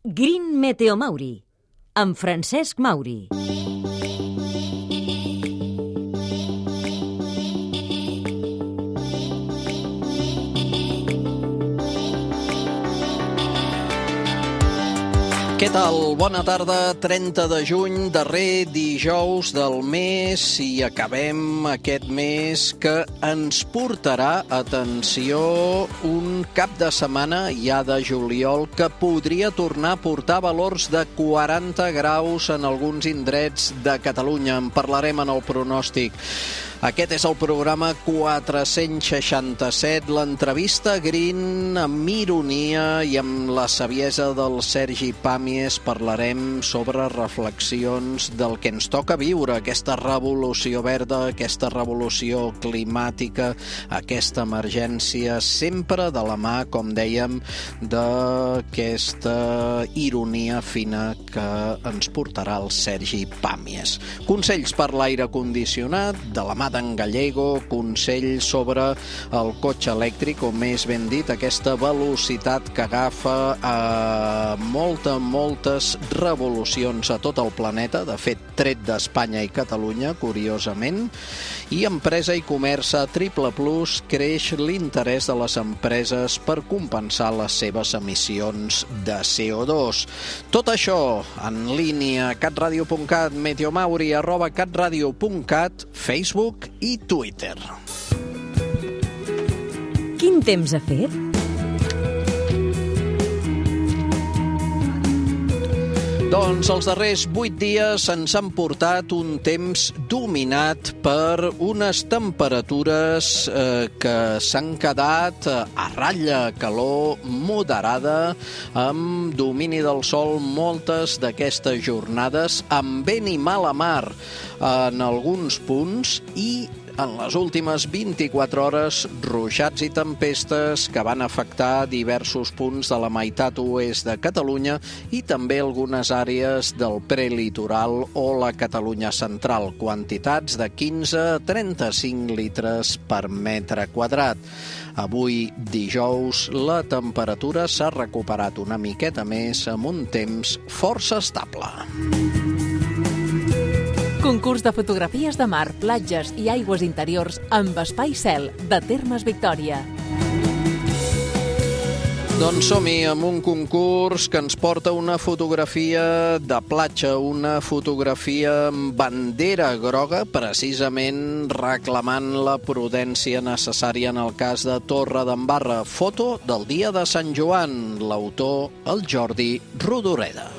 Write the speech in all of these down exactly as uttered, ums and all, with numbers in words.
Green Meteo Mauri, amb Francesc Mauri. Què tal? Bona tarda, trenta de juny, darrer dijous del mes, i acabem aquest mes que ens portarà, atenció, un cap de setmana ja de juliol que podria tornar a portar valors de quaranta graus en alguns indrets de Catalunya. En parlarem en el pronòstic. Aquest és el programa quatre-cents seixanta-set, l'entrevista Green amb ironia i amb la saviesa del Sergi Pàmies. Parlarem sobre reflexions del que ens toca viure, aquesta revolució verda, aquesta revolució climàtica, aquesta emergència, sempre de la mà, com dèiem, d'aquesta ironia fina que ens portarà el Sergi Pàmies. Consells per l'aire condicionat, de la mà d'en Gallego, consell sobre el cotxe elèctric, o més ben dit, aquesta velocitat que agafa a moltes, moltes revolucions a tot el planeta, de fet, tret d'Espanya i Catalunya, curiosament, i Empresa i Comerç a Triple Plus creix l'interès de les empreses per compensar les seves emissions de C O dos. Tot això en línia, catradio punt cat, meteomauri, arroba catradio punt cat, Facebook i Twitter. Quin temps ha fet? Doncs els darrers vuit dies ens han portat un temps dominat per unes temperatures eh, que s'han quedat a ratlla, calor moderada, amb domini del sol moltes d'aquestes jornades, amb vent i mala mar en alguns punts, i en les últimes vint-i-quatre hores, ruixats i tempestes que van afectar diversos punts de la meitat oest de Catalunya i també algunes àrees del prelitoral o la Catalunya central. Quantitats de quinze a trenta-cinc litres per metre quadrat. Avui, dijous, la temperatura s'ha recuperat una miqueta més amb un temps força estable. Concurs de fotografies de mar, platges i aigües interiors amb espai cel de Termes Victòria. Doncs som-hi amb un concurs que ens porta una fotografia de platja, una fotografia amb bandera groga, precisament reclamant la prudència necessària en el cas de Torredembarra. Foto del dia de Sant Joan, l'autor, el Jordi Rodoreda.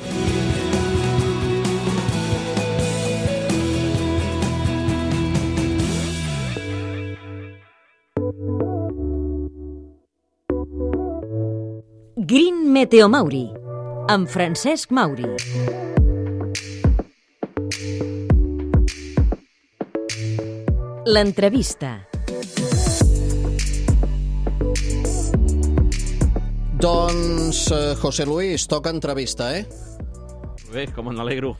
Green Meteo Mauri, amb Francesc Mauri. L'entrevista. Doncs, eh, José Luis, toca entrevista, eh? Bé, com n'alegro.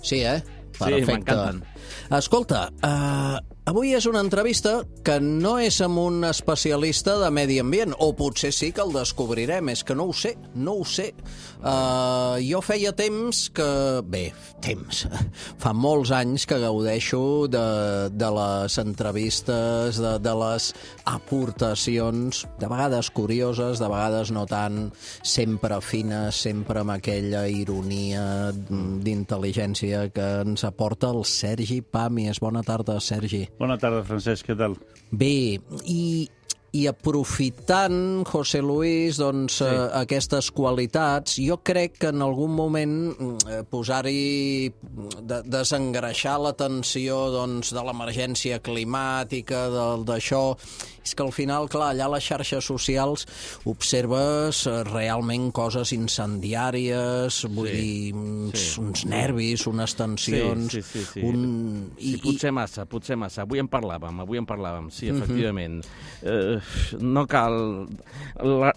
Sí, eh? Perfecte. Sí, m'encanten. Escolta, uh, avui és una entrevista que no és amb un especialista de medi ambient, o potser sí que el descobrirem, és que no ho sé, no ho sé. Uh, jo feia temps que... Bé, temps. Fa molts anys que gaudeixo de, de les entrevistes, de, de les aportacions, de vegades curioses, de vegades no tant, sempre fines, sempre amb aquella ironia d'intel·ligència que ens aporta el Sergi Pàmies. Bona tarda, Sergi. Bona tarda, Francesc, què tal? Bé, i, i aprofitant, José Luis, doncs, sí. eh, aquestes qualitats, jo crec que en algun moment eh, posar-hi, de, desengreixar l'atenció doncs, de l'emergència climàtica, d'això, és que al final, clar, allà a les xarxes socials observes realment coses incendiàries, vull sí, dir, uns, sí. uns nervis, unes tensions... Sí, sí, sí. sí. Un... sí I, potser massa, potser massa. Avui en parlàvem, avui en parlàvem, sí, efectivament. Uh-huh. Eh, no cal...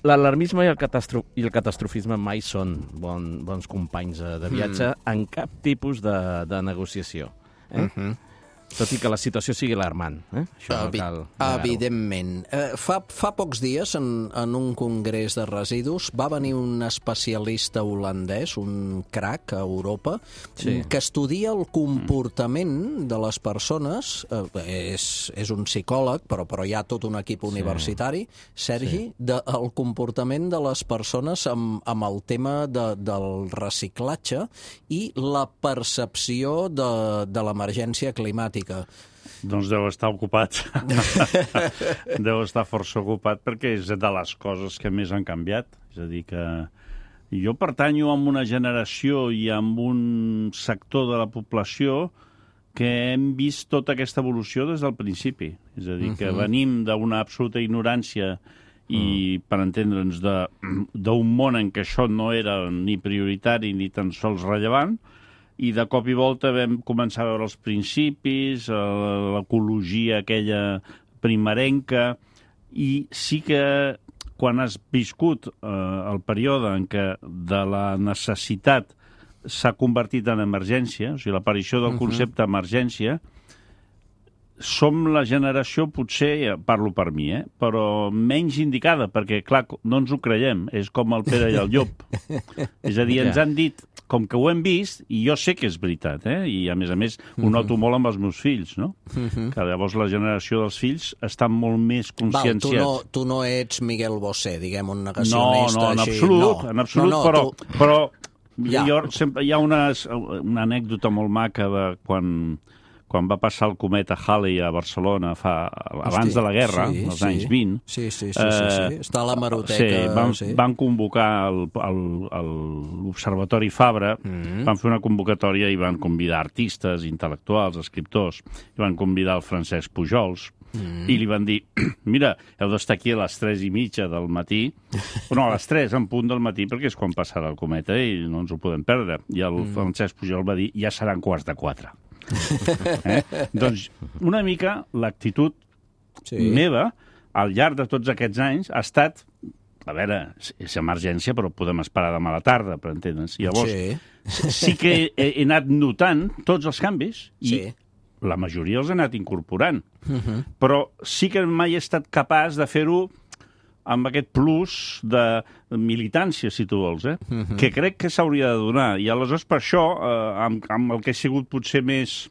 L'alarmisme i, el catastro... i el catastrofisme mai són bon, bons companys de viatge mm. en cap tipus de, de negociació. Eh? Uh-huh. tot i que la situació sigui alarmant. Eh? Això no cal negar-ho. Evidentment. Eh, fa, fa pocs dies, en, en un congrés de residus, va venir un especialista holandès, un crac a Europa, Sí. que estudia el comportament de les persones. Eh, és, és un psicòleg, però, però hi ha tot un equip universitari, Sergi, sí. de, el comportament de les persones amb, amb el tema de, del reciclatge i la percepció de, de l'emergència climàtica. Doncs deu estar ocupat. Deu estar força ocupat perquè és de les coses que més han canviat. És a dir, que jo pertanyo a una generació i a un sector de la població que hem vist tota aquesta evolució des del principi. És a dir, que uh-huh. venim d'una absoluta ignorància i, uh-huh. per entendre'ns, d'un món en què això no era ni prioritari ni tan sols rellevant, i de cop i volta vam començar a veure els principis, l'ecologia aquella primerenca, i sí que quan has viscut eh, el període en què de la necessitat s'ha convertit en emergència, o sigui, l'aparició del concepte uh-huh. emergència, som la generació, potser, parlo per mi, eh, però menys indicada, perquè, clar, no ens ho creiem, és com el Pere i el Llop. És a dir, ens han dit, com que ho hem vist, i jo sé que és veritat, eh, i a més a més ho noto molt amb els meus fills, no? Que llavors la generació dels fills estan molt més conscienciats. Val, tu no, tu no ets Miguel Bosé, diguem, un negacionista no, no, en així. absolut, no, en absolut, no, no, però, tu... però ja. jo sempre, hi ha una, una anècdota molt maca de quan... quan va passar el cometa Halley a Barcelona fa, abans Hosti, de la guerra, sí, als sí. anys vint. Sí, sí, sí, sí, sí. Està a l'hemeroteca. Sí, van, sí. van convocar l'Observatori Fabra, mm-hmm. van fer una convocatòria i van convidar artistes, intel·lectuals, escriptors, i van convidar el Francesc Pujols, mm. i li van dir, mira, heu d'estar aquí a les tres i mitja del matí, no, a les tres en punt del matí, perquè és quan passarà el cometa i no ens ho podem perdre. I el mm. Francesc Pujol va dir, ja seran quarts de quatre. Eh? Doncs una mica l'actitud sí. meva al llarg de tots aquests anys ha estat, a veure, és emergència però podem esperar demà a la tarda, per entendre'ns. Llavors sí, sí que he, he anat notant tots els canvis i sí. la majoria els he anat incorporant, uh-huh. però sí que mai he estat capaç de fer-ho amb aquest plus de militància, si tu vols, eh? Uh-huh. que crec que s'hauria de donar. I aleshores, per això, eh, amb, amb el que he sigut potser més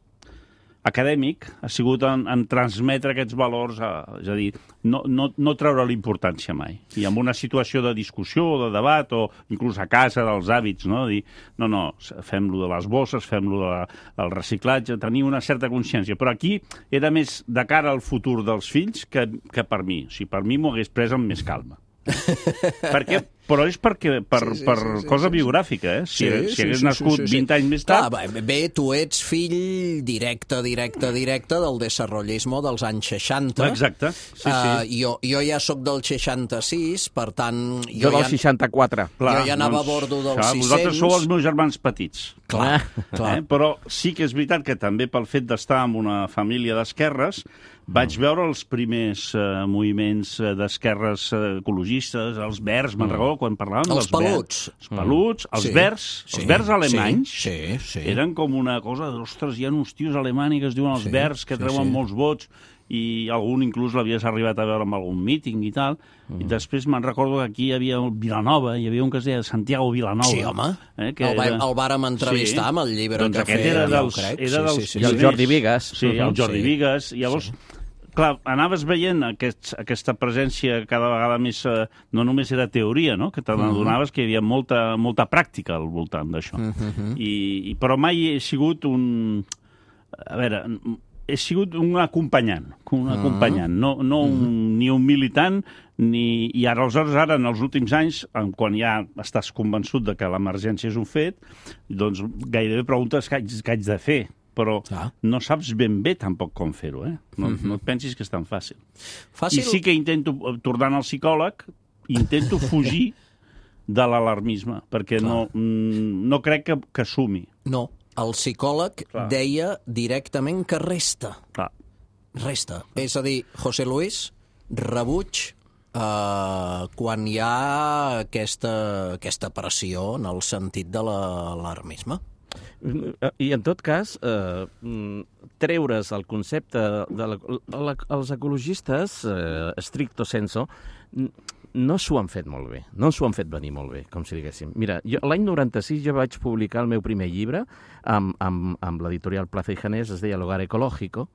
acadèmic, ha sigut en, en transmetre aquests valors, a, és a dir, no, no, no treure l'importància mai. I en una situació de discussió o de debat, o inclús a casa dels hàbits, no? Dir, no, no, fem-lo de les bosses, fem-lo de, del reciclatge, tenir una certa consciència. Però aquí era més de cara al futur dels fills que, que per mi. O sigui, per mi m'ho hagués pres amb més calma. Perquè, però és perquè per, sí, sí, per sí, sí, cosa sí, biogràfica, eh? Si, sí, si hagués sí, nascut sí, sí, sí. vint anys més tard... Clar, bé, tu ets fill directe, directe, directe del desarrollismo dels anys seixanta. Exacte, sí, sí. Uh, jo, jo ja sóc del seixanta-sis, per tant... Jo, jo del ja, seixanta-quatre. Clar, jo ja anava doncs, a bordo dels clar, sis-cents. Vosaltres sou els meus germans petits. Clar, eh? clar. Eh? Però sí que és veritat que també pel fet d'estar en una família d'esquerres vaig veure els primers uh, moviments uh, d'esquerres uh, ecologistes, els verds, me'n recordo, quan parlàvem els dels peluts. Verds, els peluts, els sí, verds, sí, els verds alemanys, sí, sí, sí. eren com una cosa, ostres, hi ha uns tios alemany que es diuen els sí, verds, que sí, treuen sí. molts vots, i algun inclús l'havies arribat a veure en algun míting i tal, mm. i després me'n recordo que aquí hi havia el Vilanova, hi havia un que es deia Santiago Vilanova. Sí, home, eh, que el, era... el vàrem entrevistar sí. amb el llibre doncs que aquest feia, era dels, ja ho crec. Era dels, sí, sí, sí, I el sí. Jordi Vigues. Sí, el Jordi sí. Vigues. I llavors, sí. clar, anaves veient aquest, aquesta presència cada vegada més, eh, no només era teoria, no? Que te n'adonaves uh-huh. que hi havia molta, molta pràctica al voltant d'això. Uh-huh. I, i, però mai he sigut un... A veure, he sigut un acompanyant, un uh-huh. acompanyant, no, no un, uh-huh. ni un militant, ni... I ara, aleshores, ara, en els últims anys, quan ja estàs convençut de que l'emergència és un fet, doncs gairebé preguntes què haig, què haig de fer, però ah. no saps ben bé tampoc com fer-ho, eh? No, mm-hmm. no et pensis que és tan fàcil. fàcil. I sí que intento, tornant al psicòleg, intento fugir de l'alarmisme, perquè no, no crec que, que sumi. No, el psicòleg Clar. deia directament que resta. Clar. Resta. És a dir, José Luis, rebuig Uh, quan hi ha aquesta, aquesta pressió en el sentit de l'alarmisme. I, en tot cas, eh, treure's el concepte de la, la, els ecologistes, eh, stricto sensu, no s'ho han fet molt bé, no s'ho han fet venir molt bé, com si diguéssim. Mira, l'any noranta-sis jo vaig publicar el meu primer llibre amb, amb, amb l'editorial Plaza y Janés, es deia L'Hogar Ecológico,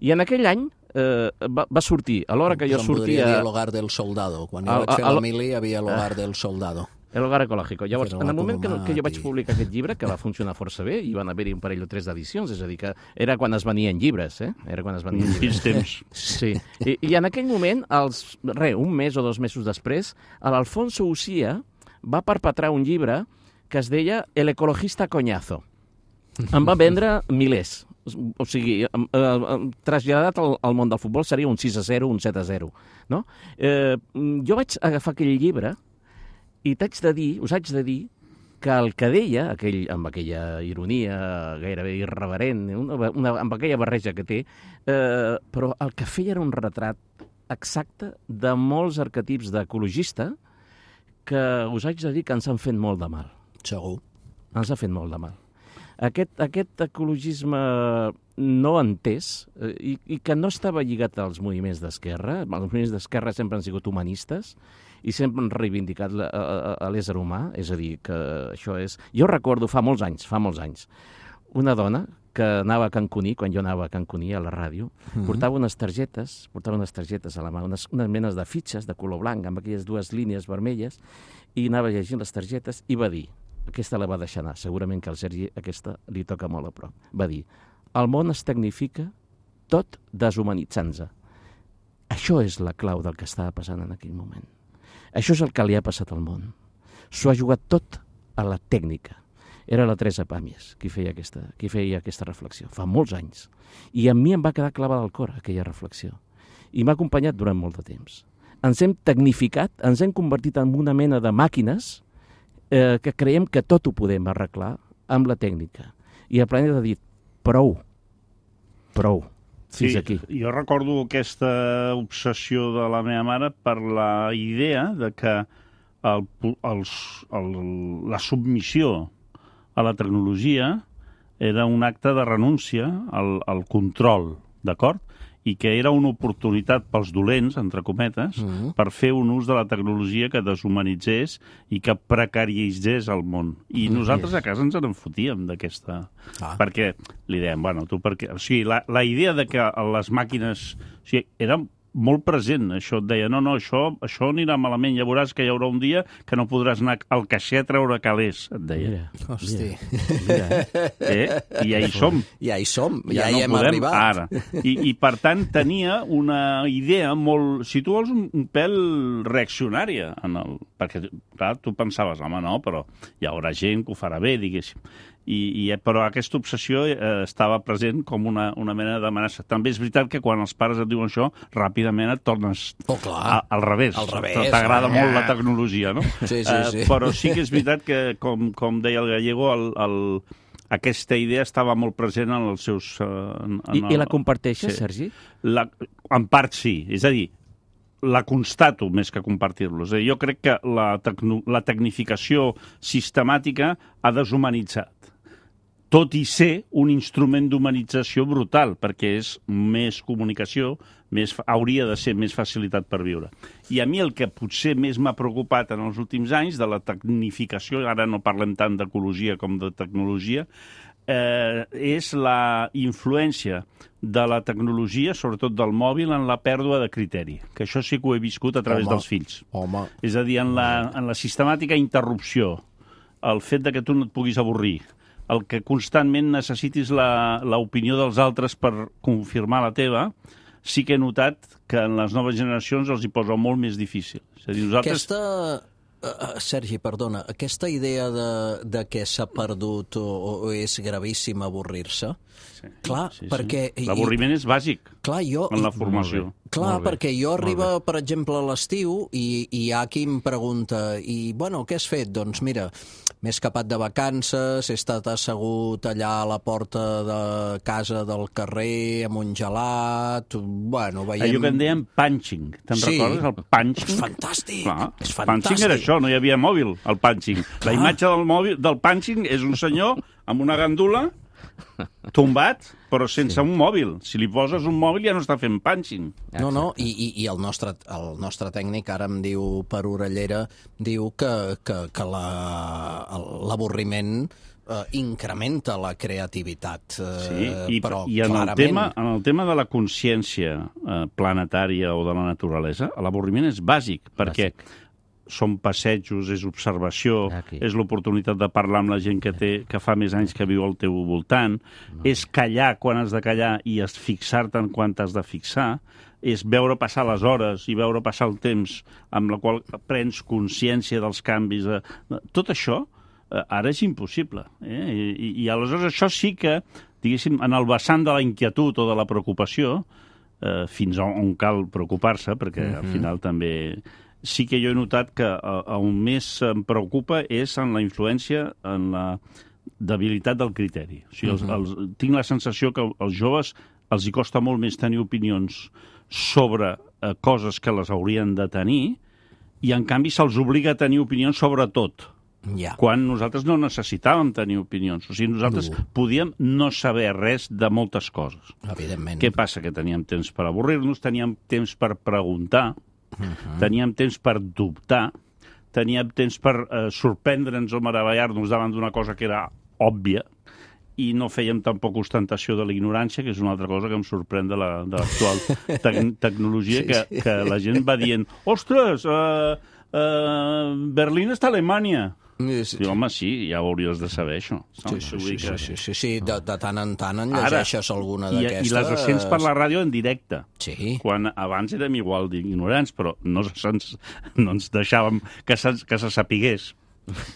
i en aquell any eh, va, va sortir, a l'hora que jo sortia... Podria dir L'Hogar del Soldado. Quan jo vaig fer la mili hi havia L'Hogar del Soldado. El Hogar Ecológico. Llavors, en el moment que, que jo vaig publicar aquest llibre, que va funcionar força bé, i van haver-hi un parell o tres d'edicions, és a dir, que era quan es venien llibres, eh? Era quan es venien llibres. Quins temps. Sí. I, I en aquell moment, els, re, un mes o dos mesos després, l'Alfonso Ucía va perpetrar un llibre que es deia El ecologista coñazo. Em va vendre milers. O sigui, eh, eh, traslladat al, al món del futbol seria un sis a zero, un set a zero. No? Eh, jo vaig agafar aquell llibre i t'haig de dir, us haig de dir que el que deia, aquell, amb aquella ironia gairebé irreverent, una, una, amb aquella barreja que té, eh, però el que feia era un retrat exacte de molts arquetips d'ecologista que us haig de dir que ens han fet molt de mal. Segur. Ens ha fet molt de mal. Aquest, aquest ecologisme no entès eh, i, i que no estava lligat als moviments d'esquerra, els moviments d'esquerra sempre han sigut humanistes, i sempre han reivindicat la, a, a l'ésser humà, és a dir, que això és... Jo recordo fa molts anys, fa molts anys, una dona que anava a Cancuní, quan jo anava a Cancuní, a la ràdio, mm-hmm. portava unes targetes, portava unes targetes a la mà, unes, unes menes de fitxes de color blanc, amb aquelles dues línies vermelles, i anava llegint les targetes i va dir, aquesta la va deixar anar, segurament que al Sergi aquesta li toca molt a prop, va dir, el món es tecnifica tot deshumanitzant-se. Això és la clau del que estava passant en aquell moment. Això és el que li ha passat al món. S'ho ha jugat tot a la tècnica. Era la Teresa Pàmies qui feia aquesta, qui feia aquesta reflexió, fa molts anys. I a mi em va quedar clavada al cor aquella reflexió. I m'ha acompanyat durant molt de temps. Ens hem tecnificat, ens hem convertit en una mena de màquines eh, que creiem que tot ho podem arreglar amb la tècnica. I el planeta ha dit, prou, prou. Sí, aquí. Jo recordo aquesta obsessió de la meva mare per la idea de que el, els, el, la submissió a la tecnologia era un acte de renúncia al, al control, d'acord? I que era una oportunitat pels dolents, entre cometes, mm-hmm. per fer un ús de la tecnologia que deshumanitzés i que precaritzés el món. I mm, nosaltres yes. a casa ens en fotíem d'aquesta... Ah. Perquè li dèiem, bueno, tu perquè... O sigui, la, la idea de que les màquines... O sigui, era molt present, això et deia, no, no, això, això anirà malament, ja veuràs que hi haurà un dia que no podràs anar al caixer a treure calés, et deia. Mira, hosti. Mira. Eh? I ja hi som. Ja hi som, ja, ja hi no hem podem, arribat. Ara. I, I, per tant, tenia una idea molt, si tu vols, un, un pèl reaccionària, en el, perquè, clar, tu pensaves, home, no, però hi haurà gent que ho farà bé, diguéssim. I, i, però aquesta obsessió eh, estava present com una, una mena d'amenaça. També és veritat que quan els pares et diuen això, ràpidament et tornes oh, clar. A, al revés. Al revés. T'agrada eh? molt la tecnologia, no? Sí, sí, sí. Uh, però sí que és veritat que, com, com deia el Gallego, el, el, aquesta idea estava molt present en els seus... Uh, en, en I, el, I la comparteixes, sí. Sergi? La, en part sí. És a dir, la constato més que compartir-los. Jo crec que la, tecno, la tecnificació sistemàtica ha deshumanitzat. Tot i ser un instrument d'humanització brutal, perquè és més comunicació, més, hauria de ser més facilitat per viure. I a mi el que potser més m'ha preocupat en els últims anys de la tecnificació, ara no parlem tant d'ecologia com de tecnologia, eh, és la influència de la tecnologia, sobretot del mòbil, en la pèrdua de criteri. Que això sí que ho he viscut a través home, dels fills. Home. És a dir, en la, en la sistemàtica interrupció, el fet de que tu no et puguis avorrir, el que constantment necessitis l'opinió dels altres per confirmar la teva, sí que he notat que en les noves generacions els hi posa molt més difícil. És a dir, nosaltres... Aquesta... Uh, Sergi, perdona, aquesta idea de, de que s'ha perdut o, o és gravíssim avorrir-se, sí, clar, sí, perquè... Sí. L'avorriment és bàsic clar, jo, en la formació. Clar, perquè jo arriba, per exemple, a l'estiu i, i hi ha qui em pregunta i, bueno, què has fet? Doncs mira, m'he escapat de vacances, he estat assegut allà a la porta de casa del carrer amb un gelat, bueno, veiem... Allò que en dèiem punching, te'n sí. recordes? El punching? És fantàstic, clar, és fantàstic. Punching era això, no hi havia mòbil, el punching. La imatge del, mòbil, del punching és un senyor amb una gandula, tombat, però sense sí. un mòbil. Si li poses un mòbil ja no està fent punching. No, no, i, i, i el, nostre, el nostre tècnic ara em diu per orellera, diu que, que, que l'avorriment eh, incrementa la creativitat. Eh, sí, i, però i en, clarament... el tema, en el tema de la consciència eh, planetària o de la naturalesa, l'avorriment és bàsic, perquè bàsic. Són passejos, és observació, Aquí. és l'oportunitat de parlar amb la gent que, té, que fa més anys que viu al teu voltant, no. és callar quan has de callar i fixar-te en quan t'has de fixar, és veure passar les hores i veure passar el temps amb la qual prens consciència dels canvis. De... Tot això eh, ara és impossible. Eh? I, I aleshores això sí que, diguéssim, en el vessant de la inquietud o de la preocupació, eh, fins on cal preocupar-se, perquè mm-hmm. al final també... Sí que jo he notat que on més em preocupa és en la influència, en la debilitat del criteri. O sigui, els, els, tinc la sensació que als joves els hi costa molt més tenir opinions sobre eh, coses que les haurien de tenir i, en canvi, se'ls obliga a tenir opinions sobre tot. Ja. Quan nosaltres no necessitàvem tenir opinions. O sigui, nosaltres no. podíem no saber res de moltes coses. Evidentment. Què passa? Que teníem temps per avorrir-nos, teníem temps per preguntar, Uh-huh. teníem temps per dubtar, teníem temps per eh, sorprendre'ns o meravellar-nos davant d'una cosa que era òbvia i no fèiem tampoc ostentació de la ignorància, que és una altra cosa que em sorprèn de l'actual te tecnologia, sí, que, sí. que la gent va dient ostres, uh, uh, Berlín està a Alemanya. Sí, sí. Home, sí, ja ho hauries de saber, això. Sí, sí, sí, sí, sí, sí, sí. De, de tant en tant en llegeixes Ara, alguna d'aquestes. I les sents per la ràdio en directe. Sí. Quan abans érem igual d'ignorants, però no, ens, no ens deixàvem que se, que se sapigués.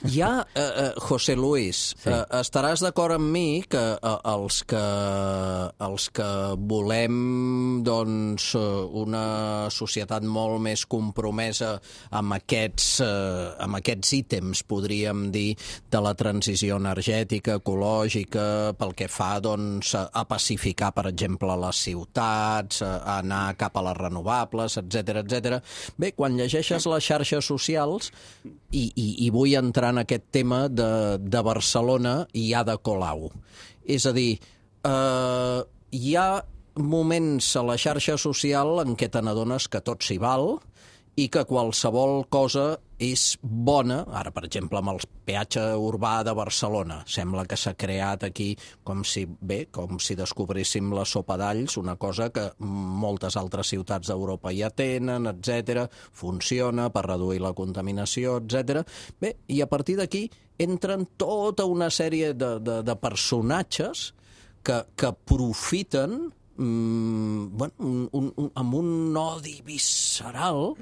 Ja, eh, eh, José Luis, sí. eh, estaràs d'acord amb mi que eh, els que els que volem doncs, una societat molt més compromesa amb aquests, eh, amb aquests ítems, podríem dir, de la transició energètica, ecològica, pel que fa doncs, a pacificar, per exemple, les ciutats, a anar cap a les renovables, etcètera, etcètera. Bé, quan llegeixes les xarxes socials, i, i, i vull entrar en aquest tema de, de Barcelona i Ada Colau. És a dir, eh, hi ha moments a la xarxa social en què te n'adones que tot s'hi val i que qualsevol cosa és bona. Ara, per exemple, amb el peatge urbà de Barcelona, sembla que s'ha creat aquí com si, bé, com si descobríssim la sopa d'alls, una cosa que moltes altres ciutats d'Europa ja tenen, etcètera, funciona per reduir la contaminació, etcètera. Bé, i a partir d'aquí entren tota una sèrie de, de, de personatges que, que profiten mm, bueno, un, un, un, amb un odi visceral.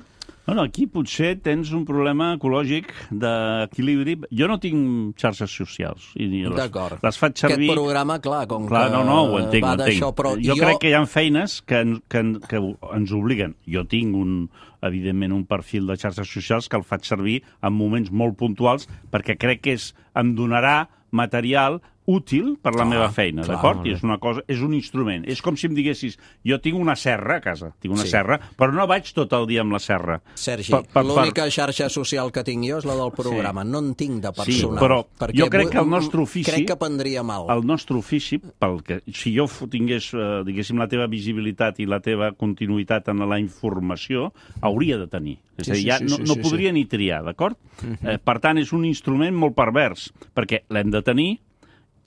Bueno, aquí potser tens un problema ecològic d'equilibri. Jo no tinc xarxes socials. D'acord. Les faig servir... Aquest programa, clar, com clar, que no, no, ho entenc, va d'això, però jo, jo crec que hi ha feines que, que, que ens obliguen. Jo tinc, un, evidentment, un perfil de xarxes socials que el faig servir en moments molt puntuals perquè crec que és, em donarà material útil per la clar, meva feina, d'acord? I és una cosa, és un instrument. És com si em diguessis, jo tinc una serra a casa, tinc una sí. serra, però no vaig tot el dia amb la serra. Sergi, l'única xarxa social que tinc jo és la del programa, sí. no en tinc de personal. Sí, però jo crec que el nostre ofici... Crec que prendria mal. El nostre ofici, pel que, si jo tingués, eh, diguéssim, la teva visibilitat i la teva continuïtat en la informació, hauria de tenir. És a dir, ja sí, sí, no, sí, no sí, podria sí. ni triar, d'acord? Uh-huh. eh, per tant, és un instrument molt pervers, perquè l'hem de tenir,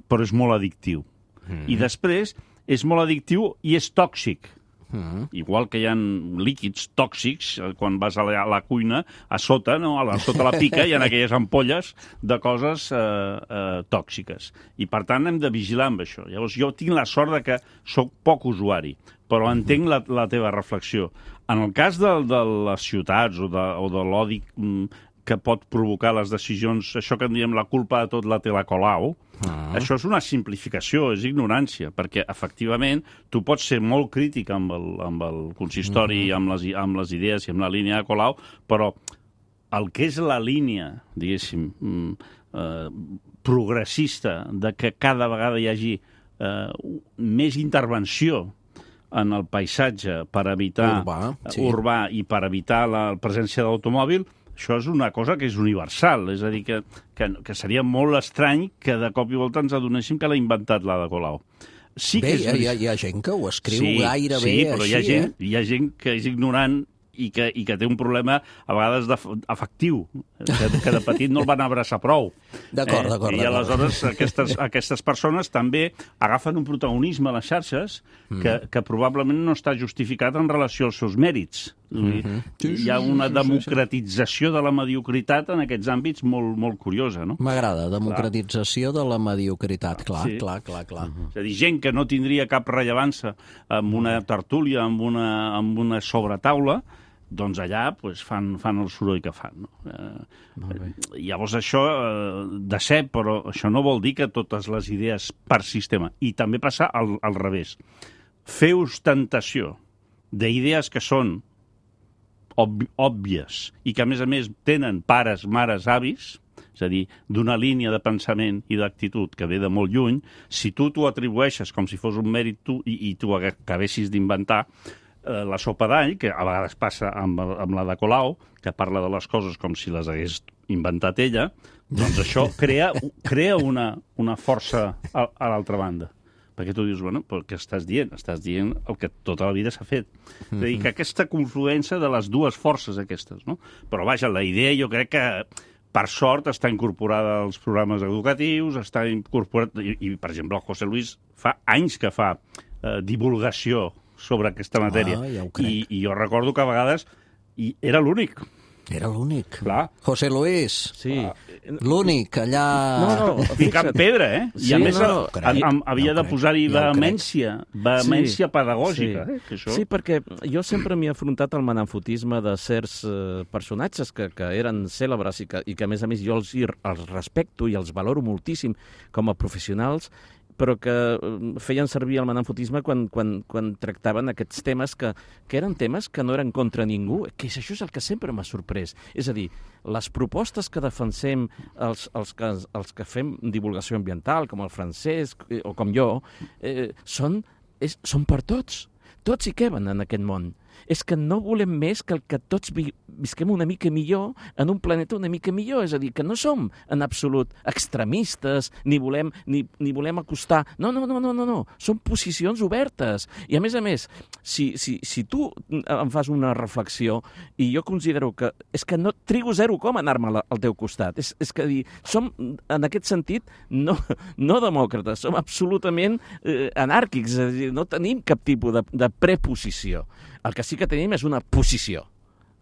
però és molt addictiu. Mm. I després és molt addictiu i és tòxic. Mm. Igual que hi ha líquids tòxics, quan vas a la, a la cuina, a sota, no? a, la, a sota la pica, hi ha aquelles ampolles de coses eh, eh, tòxiques. I, per tant, hem de vigilar amb això. Llavors, jo tinc la sort de que sóc poc usuari, però entenc la, la teva reflexió. En el cas de, de les ciutats o de, o de l'odi que pot provocar les decisions, això que en diem la culpa de tot la té la Colau, ah. això és una simplificació, és ignorància, perquè, efectivament, tu pots ser molt crític amb el, amb el consistori, mm-hmm. amb, les, amb les idees i amb la línia de Colau, però el que és la línia, diguéssim, eh, progressista, de que cada vegada hi hagi eh, més intervenció en el paisatge per evitar urbà, sí. urbà i per evitar la presència d'automòbil, Això és una cosa que és universal, és a dir, que, que, que seria molt estrany que de cop i volta ens adonéssim que l'ha inventat l'Ada Colau. Sí Bé, que és... hi, ha, hi ha gent que ho escriu sí, gairebé sí, però així, hi ha gent, eh? hi ha gent que és ignorant i que, i que té un problema a vegades afectiu, que, que de petit no el van abraçar prou. D'acord, d'acord. I aleshores aquestes, aquestes persones també agafen un protagonisme a les xarxes que, que probablement no està justificat en relació als seus mèrits. Mm-hmm. Sí, sí, hi ha una democratització de la mediocritat en aquests àmbits molt, molt curiosa, no? M'agrada, democratització clar. de la mediocritat, clar, sí. clar, clar, clar. Uh-huh. És a dir, gent que no tindria cap rellevància amb una tertúlia, amb una, amb una sobretaula, doncs allà pues, fan, fan el soroll que fan. No? Eh, llavors això, eh, de ser, però això no vol dir que totes les idees per sistema. I també passa al, al revés. Fer ostentació d'idees que són ob òbvies i que, a més a més, tenen pares, mares, avis, és a dir, d'una línia de pensament i d'actitud que ve de molt lluny, si tu t'ho atribueixes com si fos un mèrit tu i, i tu acabessis d'inventar eh, la sopa d'all, que a vegades passa amb, amb la de Colau, que parla de les coses com si les hagués inventat ella, doncs això crea, crea una, una força a, a l'altra banda. Perquè tu dius, bueno, però què estàs dient? Estàs dient el que tota la vida s'ha fet. És a dir, que aquesta confluència de les dues forces aquestes, no? Però, vaja, la idea jo crec que, per sort, està incorporada als programes educatius, està incorporat... I, i per exemple, el José Luis fa anys que fa eh, divulgació sobre aquesta matèria. Ah, ja ho crec. I, I jo recordo que a vegades i era l'únic. Era l'únic. Clar. José Luis. Sí. L'únic, allà... No, no, picant pedra, eh? Sí, I a més no, no, a, a, havia ja de posar-hi ja vehemència, vehemència sí, pedagògica. Sí. Eh? Que això... sí, perquè jo sempre m'he afrontat al manamfotisme de certs eh, personatges que, que eren cèlebres i que, i que, a més a més, jo els, els respecto i els valoro moltíssim com a professionals, però que feien servir el manamfotisme quan, quan, quan tractaven aquests temes que, que eren temes que no eren contra ningú, que això és el que sempre m'ha sorprès. És a dir, les propostes que defensem els, els, que, els que fem divulgació ambiental, com el Francesc o com jo, eh, són, és, són per tots. Tots hi queben en aquest món. És que no volem més que el que tots vi visquem una mica millor en un planeta una mica millor. És a dir, que no som en absolut extremistes, ni volem, ni, ni volem acostar... No, no, no, no, no, no. Són posicions obertes. I a més a més, si, si, si tu em fas una reflexió i jo considero que és que no trigo zero com anar-me al teu costat. És, és que dir, som, en aquest sentit, no, no demòcrates, som absolutament eh, anàrquics. És a dir, no tenim cap tipus de, de preposició. El que sí que tenim és una posició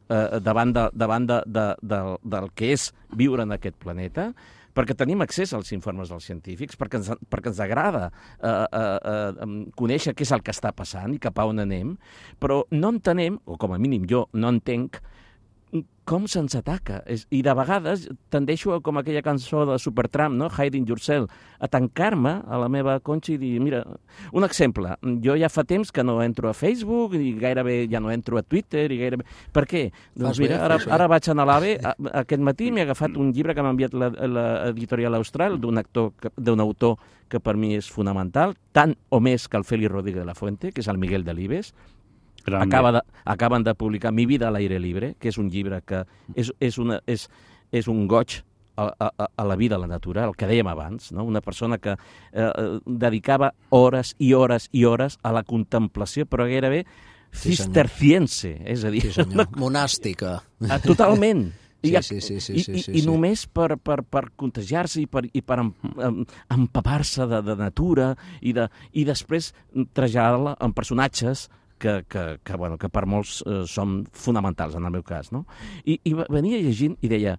eh, davant, de, davant de, de, de, del que és viure en aquest planeta, perquè tenim accés als informes dels científics, perquè ens, perquè ens agrada eh, eh, eh, conèixer què és el que està passant i cap a on anem, però no entenem, o com a mínim jo no entenc, com se'ns ataca. I de vegades tendeixo, com aquella cançó de Supertramp, no? Hiding Yourself, a tancar-me a la meva conxa i dir, mira, un exemple, jo ja fa temps que no entro a Facebook i gairebé ja no entro a Twitter i gairebé... Per què? Doncs mira, ara, ara vaig anar a l'AVE, aquest matí m'he agafat un llibre que m'ha enviat l'editorial Austral d'un actor, d'un autor que per mi és fonamental, tant o més que el Félix Rodríguez de la Fuente, que és el Miguel Delibes. Acaba de, acaben de publicar Mi vida a l'aire libre, que és un llibre que és, és, una, és, és un goig a, a, a la vida a la natura, el que dèiem abans, no? Una persona que eh, dedicava hores i hores i hores a la contemplació, però gairebé sí, cisterciense, és a dir... Sí, senyor. Monàstica. Totalment. Sí, sí, sí, sí, I, sí, sí, i, i sí. només per, per, per contagiar-se i per, i per em, em, empapar-se de, de natura i, de, i després traslladar-la en personatges que, que, que, bueno, que per molts eh, són fonamentals, en el meu cas, no? I, i venia llegint i deia,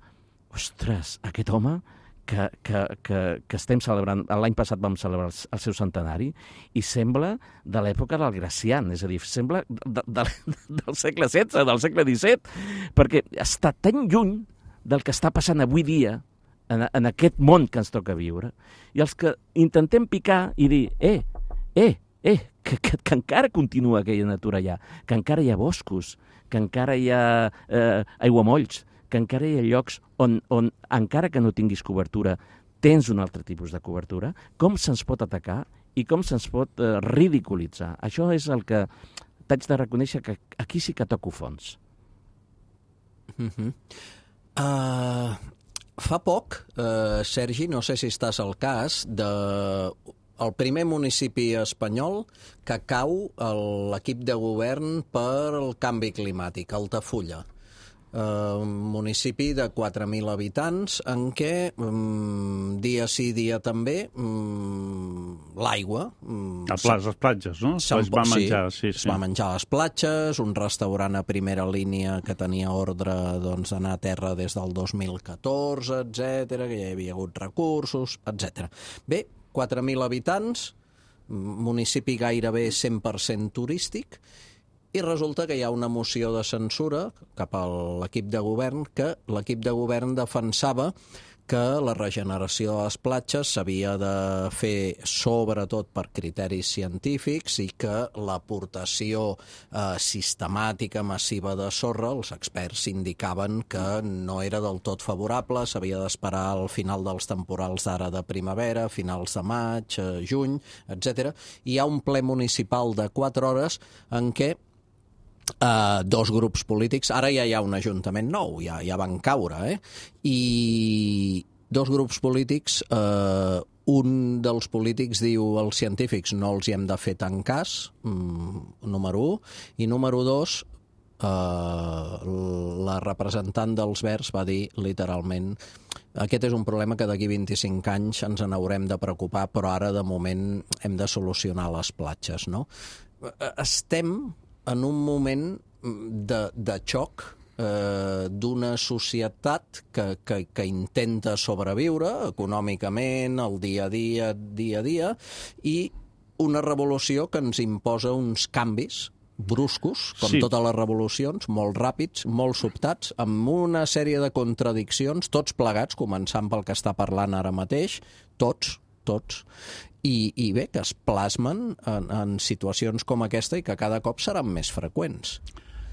ostres, aquest home que, que, que, que estem celebrant, l'any passat vam celebrar el, el seu centenari, i sembla de l'època del Gracián, és a dir, sembla de, de, del segle setze, del segle disset, perquè està tan lluny del que està passant avui dia en, en aquest món que ens toca viure, i els que intentem picar i dir, eh, eh, eh, que, que, que encara continua aquella natura allà, que encara hi ha boscos, que encara hi ha eh, aiguamolls, que encara hi ha llocs on, on, encara que no tinguis cobertura, tens un altre tipus de cobertura, com se'ns pot atacar i com se'ns pot eh, ridiculitzar. Això és el que t'haig de reconèixer, que aquí sí que toco fons. Mm-hmm. Uh, fa poc, uh, Sergi, no sé si estàs al cas, de el primer municipi espanyol que cau l'equip de govern per el canvi climàtic, Altafulla. Uh, un municipi de quatre mil habitants en què um, dia sí, dia també um, l'aigua um, a les, les platges, no? Es va menjar, sí, sí. Es va menjar a les platges, un restaurant a primera línia que tenia ordre doncs, d'anar a terra des del dos mil catorze, etcètera, que ja hi havia hagut recursos, etcètera. Bé, quatre mil habitants, municipi gairebé cent per cent turístic, i resulta que hi ha una moció de censura cap a l'equip de govern que l'equip de govern defensava que la regeneració de les platges s'havia de fer sobretot per criteris científics i que l'aportació eh, sistemàtica massiva de sorra, els experts indicaven que no era del tot favorable, s'havia d'esperar al final dels temporals d'ara de primavera, finals de maig, eh, juny, etcètera. Hi ha un ple municipal de quatre hores en què Uh, dos grups polítics, ara ja hi ha un ajuntament nou, ja, ja van caure, eh? I dos grups polítics, uh, un dels polítics diu als científics no els hi hem de fer tant cas, um, número un, i número dos, uh, la representant dels Verds va dir literalment aquest és un problema que d'aquí vint-i-cinc anys ens n'haurem de preocupar, però ara de moment hem de solucionar les platges, no? Estem en un moment de, de xoc eh, d'una societat que, que, que intenta sobreviure econòmicament, el dia a dia, dia a dia, i una revolució que ens imposa uns canvis bruscos, com sí. Totes les revolucions, molt ràpids, molt sobtats, amb una sèrie de contradiccions, tots plegats, començant pel que està parlant ara mateix, tots, tots, I, i bé, que es plasmen en, en situacions com aquesta i que cada cop seran més freqüents.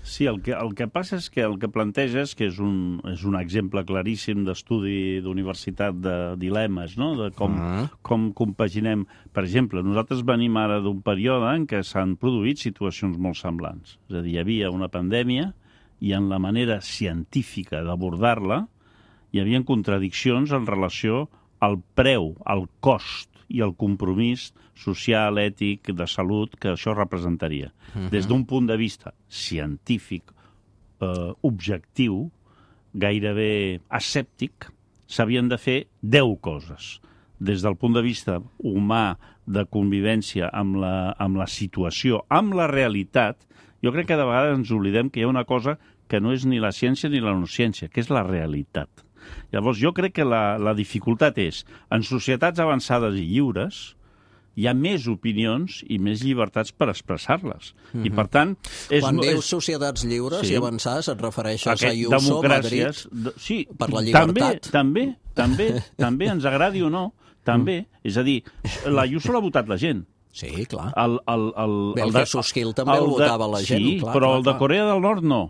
Sí, el que, el que passa és que el que planteges, que és un, és un exemple claríssim d'estudi d'universitat de dilemes, no? De com, uh-huh. com compaginem. Per exemple, nosaltres venim ara d'un període en què s'han produït situacions molt semblants. És a dir, hi havia una pandèmia i en la manera científica d'abordar-la hi havia contradiccions en relació al preu, al cost i el compromís social, ètic, de salut que això representaria. Uh-huh. Des d'un punt de vista científic, eh, objectiu, gairebé escèptic, s'havien de fer deu coses. Des del punt de vista humà, de convivència amb la, amb la situació, amb la realitat, jo crec que de vegades ens oblidem que hi ha una cosa que no és ni la ciència ni la no-ciència, que és la realitat. Llavors, jo crec que la, la dificultat és, en societats avançades i lliures, hi ha més opinions i més llibertats per expressar-les. Mm-hmm. I, per tant... És, Quan és... dius societats lliures sí. I avançades, et refereixes Aquest, a Ayuso, Madrid, de, sí, per la llibertat? També, també, també, també, ens agradi o no, també. Mm. És a dir, la Ayuso l'ha votat la gent. Sí, clar. El, el, el, Bé, el, el de Soskil també el, el votava la gent. Sí, clar, però clar, el de Corea del Nord no.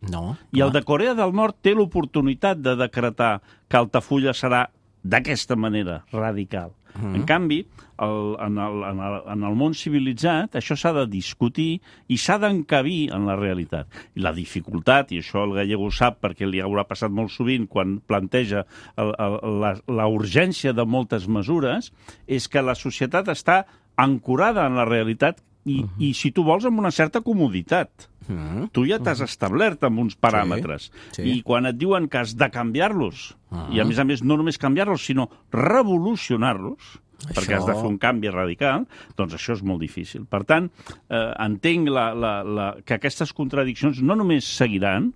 No, I el de Corea del Nord té l'oportunitat de decretar que Altafulla serà d'aquesta manera, radical. Mm. En canvi, el, en, el, en, el, en el món civilitzat això s'ha de discutir i s'ha d'encabir en la realitat. I la dificultat, i això el gallego sap perquè li haurà passat molt sovint quan planteja el, el, la, la urgència de moltes mesures, és que la societat està ancorada en la realitat i, uh-huh. i si tu vols, amb una certa comoditat. Uh-huh. Tu ja t'has uh-huh. establert amb uns paràmetres. Sí, sí. I quan et diuen que has de canviar-los, uh-huh. i a més a més no només canviar-los, sinó revolucionar-los, això... perquè has de fer un canvi radical, doncs això és molt difícil. Per tant, eh, entenc la, la, la, que aquestes contradiccions no només seguiran,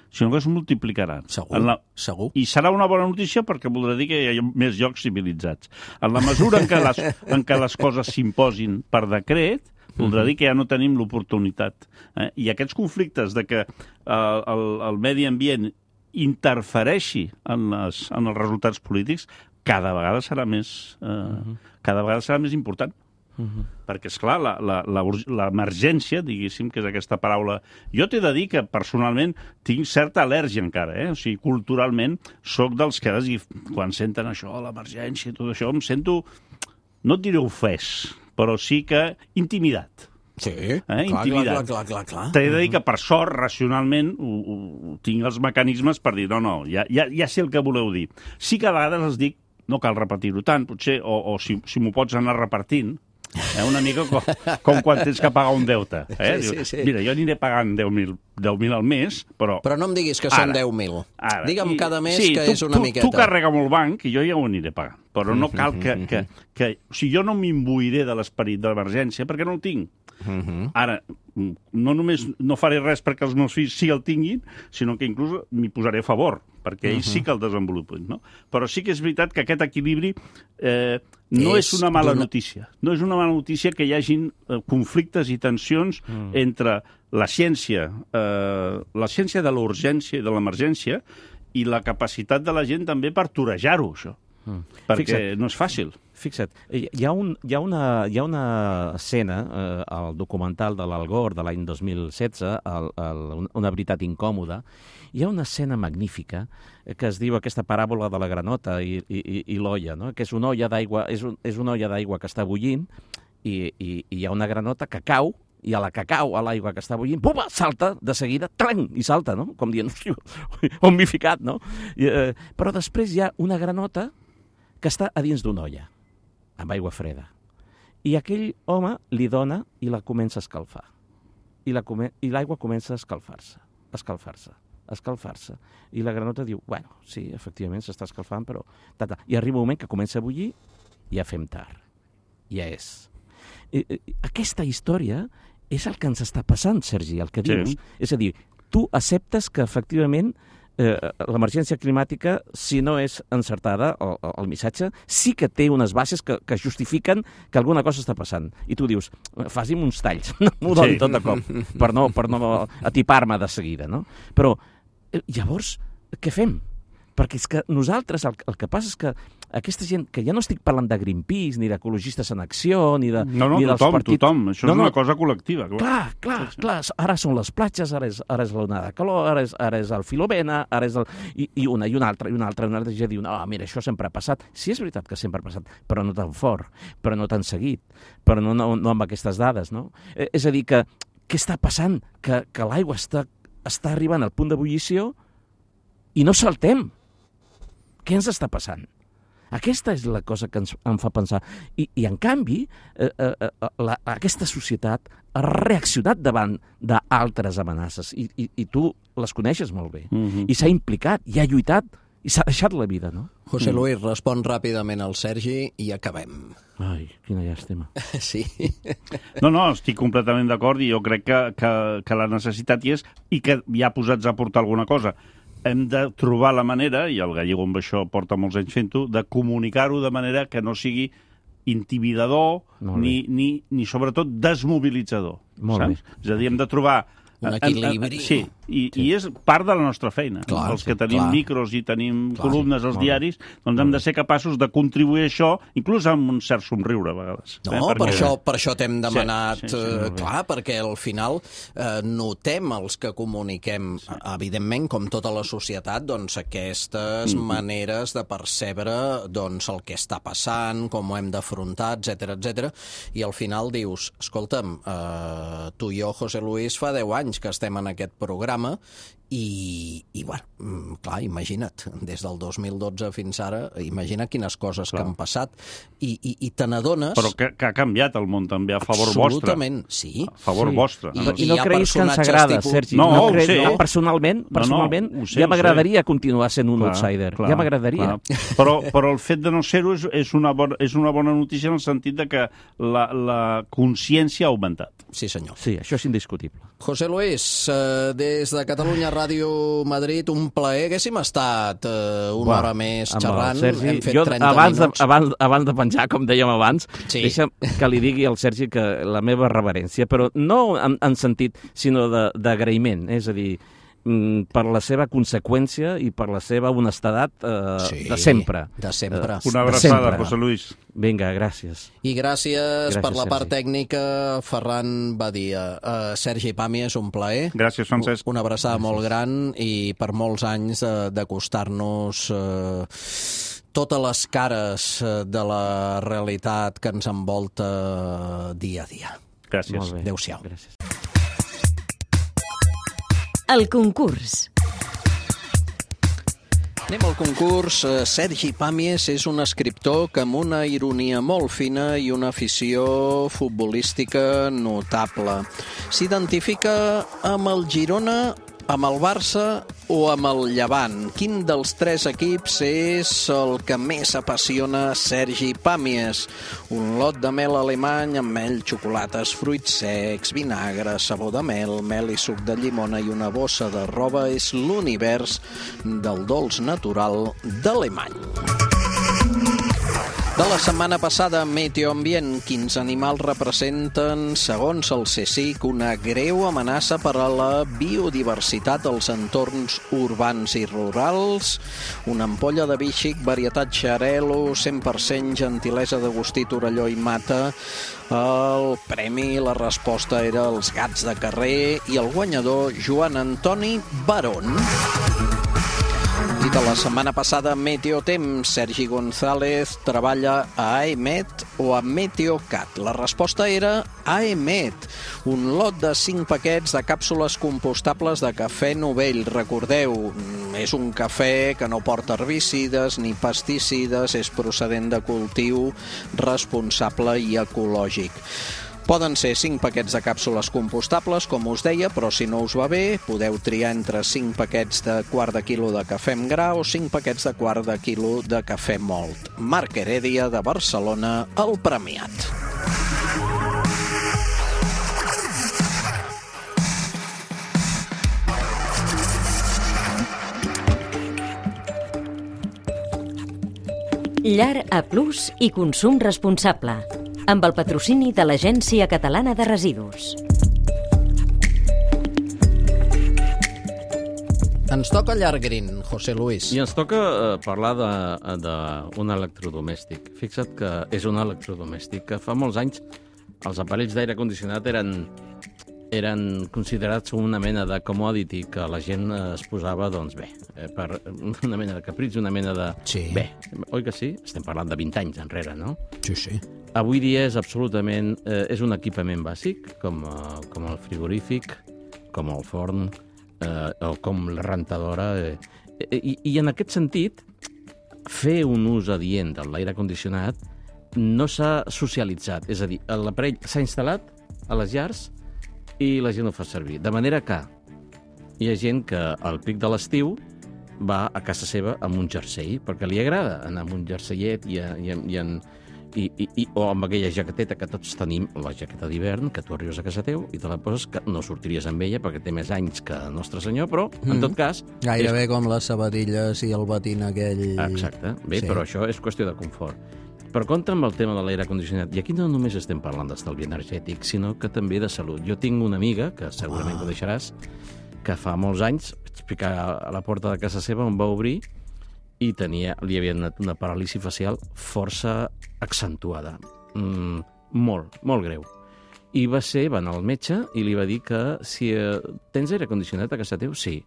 sinó que es multiplicaran. Segur, la... segur. I serà una bona notícia perquè voldrà dir que hi ha més llocs civilitzats. En la mesura en què les, en què les coses s'imposin per decret, voldrà dir que ja no tenim l'oportunitat. Eh? I aquests conflictes de que eh, el, el medi ambient interfereixi en, les, en els resultats polítics cada vegada serà més, eh, uh-huh. cada vegada serà més important. Uh-huh. Perquè, esclar, l'emergència, diguéssim, que és aquesta paraula... Jo t'he de dir que, personalment, tinc certa al·lèrgia encara, eh? O sigui, culturalment, soc dels que, quan senten això, l'emergència i tot això, em sento, no et diré ofès, però sí que intimidat. Sí, eh? clar, Intimidat. clar, clar, clar, clar. T'he de dir que, per sort, racionalment, ho, ho, tinc els mecanismes per dir, no, no, ja, ja, ja sé el que voleu dir. Sí que a vegades els dic, no cal repetir-ho tant, potser, o, o si, si m'ho pots anar repartint, eh? Una mica com, com quan tens que pagar un deute. Eh? Sí, sí, Diu, sí. mira, jo aniré pagant deu mil al mes, però... Però no em diguis que Ara, són deu mil. Ara, Digue'm i- cada mes sí, que tu, és una tu, miqueta. Tu carrega'm el banc i jo ja ho aniré pagant. Però no cal que... que, que o sigui, jo no m'imbuiré de l'esperit d'emergència perquè no el tinc. Ara, no només no faré res perquè els meus fills sí el tinguin, sinó que inclús m'hi posaré a favor, perquè ells sí que el desenvolupin, no? Però sí que és veritat que aquest equilibri eh, no és, És una mala d'una- notícia. No és una mala notícia que hi hagin eh, conflictes i tensions mm. entre la ciència, eh, la ciència de la urgència i de l'emergència i la capacitat de la gent també per torejar-ho, això. Mm. Perquè Fixa't. no és fàcil. Fixa't, hi ha, un, hi ha, una, hi ha una escena eh, al documental de l'Al Gore de l'any dos mil setze, el, el, Una veritat incòmoda, hi ha una escena magnífica que es diu aquesta paràbola de la granota i, i, i l'olla, no? Que és una olla d'aigua, és, un, és una olla d'aigua que està bullint i, i, i hi ha una granota que cau i a la que cau a l'aigua que està bullint, pum, salta de seguida, tlang, i salta, no? Com dient, on m'he ficat, no? I, eh, però després hi ha una granota que està a dins d'una olla, amb aigua freda. I aquell home li dona i la comença a escalfar. I la come i l'aigua comença a escalfar-se, a escalfar-se, a escalfar-se. I la granota diu, bueno, sí, efectivament s'està escalfant, però... Tata. I arriba un moment que comença a bullir i ja fem tard. Ja és. I, i, aquesta història és el que ens està passant, Sergi, el que dius. Sí. És a dir, tu acceptes que efectivament eh, l'emergència climàtica, si no és encertada, el, el missatge, sí que té unes bases que, que justifiquen que alguna cosa està passant. I tu dius, faci'm uns talls, no m'ho doni Sí. tot de cop, per no, per no atipar-me de seguida, no? Però, eh, llavors, què fem? Perquè és que nosaltres, el, el que passa és que aquesta gent, que ja no estic parlant de Greenpeace, ni d'Ecologistes en Acció, ni, de, No, no, ni dels tothom, partits... tothom. Això No, és no. una cosa col·lectiva. Clar. Clar, clar, clar, ara són les platges, ara és, ara és l'onada de calor, ara és, ara és el Filomena, ara és el... I, i una, i una altra, i una altra, i una altra, i ja diu, no, mira, això sempre ha passat. Sí, és veritat que sempre ha passat, però no tan fort, però no tan seguit, però no, no, no amb aquestes dades, no? Eh, és a dir, que què està passant? Que, que l'aigua està, està arribant al punt d'ebullició i no saltem. Què ens està passant? Aquesta és la cosa que ens, em fa pensar. I, i en canvi, eh, eh, la, aquesta societat ha reaccionat davant d'altres amenaces. I, i, I tu les coneixes molt bé. Mhm. I s'ha implicat, i ha lluitat, i s'ha deixat la vida, no? José Luis, respon ràpidament al Sergi i acabem. Ai, quina llàstima. Sí. No, no, estic completament d'acord i jo crec que, que, que la necessitat hi és i que ja posats a portar alguna cosa. Hem de trobar la manera, i el Gallego amb això porta molts anys fent-ho, de comunicar-ho de manera que no sigui intimidador Molt ni, ni, ni sobretot desmobilitzador. Molt saps? És a dir, hem de trobar... Un equilibri. Sí, i, sí, i és part de la nostra feina. Clar, Els que sí, tenim clar. micros i tenim Clar, columnes als molt bé. diaris, doncs hem de ser capaços de contribuir a això, inclús amb un cert somriure, a vegades. No, eh? per Perquè- això, per això t'hem demanat, sí, sí, eh, clar, perquè al final eh, notem els que comuniquem, evidentment, com tota la societat, doncs aquestes Mm-hmm. maneres de percebre doncs, el que està passant, com ho hem d'afrontar, etcètera, etcètera, i al final dius, escolta'm, eh, tu i jo, José Luis, fa deu anys que estem en aquest programa i, i bueno, mm, clar, imagina't, des del dos mil dotze fins ara, imagina quines coses Clar. que han passat i, i, i te n'adones... Però que, que ha canviat el món també a favor Absolutament, vostre. sí. A favor Sí. vostre. I- I, i no hi ha creguis que ens personatges agrada, tipus- Sergi. No, ho creguis- sé. no, personalment, No, no, personalment ho sé, ja ho m'agradaria continuar sent un Clar, outsider. clar, ja m'agradaria. clar. Però, però el fet de no ser-ho és, és, una bona, és una bona notícia en el sentit de que la, la consciència ha augmentat. Sí, senyor. Sí, això és indiscutible. José Luis, eh, des de Catalunya Ràdio Madrid, un plaer. Haguéssim estat eh, una Buah, hora més amb el xerrant. Sergi, Hem fet jo, trenta abans, de, minuts. abans, abans de penjar, com dèiem abans, Sí. deixa que li digui al Sergi que la meva reverència, però no en, en sentit, sinó de- d'agraïment, és a dir, mm, per la seva conseqüència i per la seva honestedat eh, Sí, de sempre. de sempre. Eh, Una de abraçada, sempre. José Luis. Vinga, gràcies. I gràcies, Gràcies, per la part Sergi. tècnica, Ferran Badia. Uh, Sergi Pàmies, un plaer. Gràcies, Francesc. Una abraçada molt gran i per molts anys eh, d'acostar-nos eh, totes les cares eh, de la realitat que ens envolta dia a dia. Gràcies. Molt bé. Adéu-siau. Gràcies. El concurs. Anem al concurs. Sergi Pàmies és un escriptor que amb una ironia molt fina i una afició futbolística notable. S'identifica amb el Girona, amb el Barça o amb el Llevant? Quin dels tres equips és el que més apassiona Sergi Pàmies? Un lot de mel alemany amb mel, xocolates, fruits secs, vinagre, sabó de mel, mel i suc de llimona i una bossa de roba és l'univers del dolç natural d'Alemany. De la setmana passada, Meteo Ambient, quins animals representen, segons el CSIC, una greu amenaça per a la biodiversitat als entorns urbans i rurals? Una ampolla de vi xic, varietat Xarel·lo, cent per cent gentilesa d'Agustí Torelló i Mata. El premi, la resposta era els gats de carrer i el guanyador, Joan Antoni Barón. I de la setmana passada, Meteotemps, Sergi González treballa a AEMET o a Meteocat. La resposta era AEMET, un lot de cinc paquets de càpsules compostables de cafè Novell. Recordeu, és un cafè que no porta herbicides ni pesticides, és procedent de cultiu responsable i ecològic. Poden ser cinc paquets de càpsules compostables, com us deia, però si no us va bé, podeu triar entre cinc paquets de quart de quilo de cafè amb gra o cinc paquets de quart de quilo de cafè mòlt. Marc Heredia, de Barcelona, el premiat. Llar A Plus i consum responsable, amb el patrocini de l'Agència Catalana de Residus. Ens toca llar green, José Luis. I ens toca eh, parlar d'un electrodomèstic. Fixa't que és un electrodomèstic que fa molts anys els aparells d'aire condicionat eren, eren considerats una mena de commodity que la gent es posava, doncs bé, eh, per una mena de capritx, una mena de... Sí. Bé, oi que sí? Estem parlant de vint anys enrere, no? Sí, sí. Avui dia és absolutament... Eh, és un equipament bàsic, com, eh, com el frigorífic, com el forn, eh, o com la rentadora. Eh, i, I en aquest sentit, fer un ús adient de l'aire condicionat no s'ha socialitzat. És a dir, l'aparell s'ha instal·lat a les llars i la gent ho fa servir. De manera que hi ha gent que al pic de l'estiu va a casa seva amb un jersei, perquè li agrada anar amb un jerseillet i, i, i, en, i, i, i, o amb aquella jaqueteta que tots tenim, la jaqueta d'hivern, que tu arribes a casa teu i te la poses, que no sortiries amb ella perquè té més anys que Nostre Senyor, però, mm. en tot cas... Gairebé és... com les sabatilles i el batín aquell... Exacte. Bé, sí. Però això és qüestió de confort. Per contra, amb el tema de l'aire condicionat, i aquí no només estem parlant d'estalvi energètic, sinó que també de salut. Jo tinc una amiga, que segurament ah. ho deixaràs, que fa molts anys vaig picar a la porta de casa seva on va obrir i tenia, li havia donat una paràlisi facial força accentuada. Mm, molt, molt greu. I va ser, va anar al metge i li va dir que si eh, tens aire condicionat a casa teu, sí.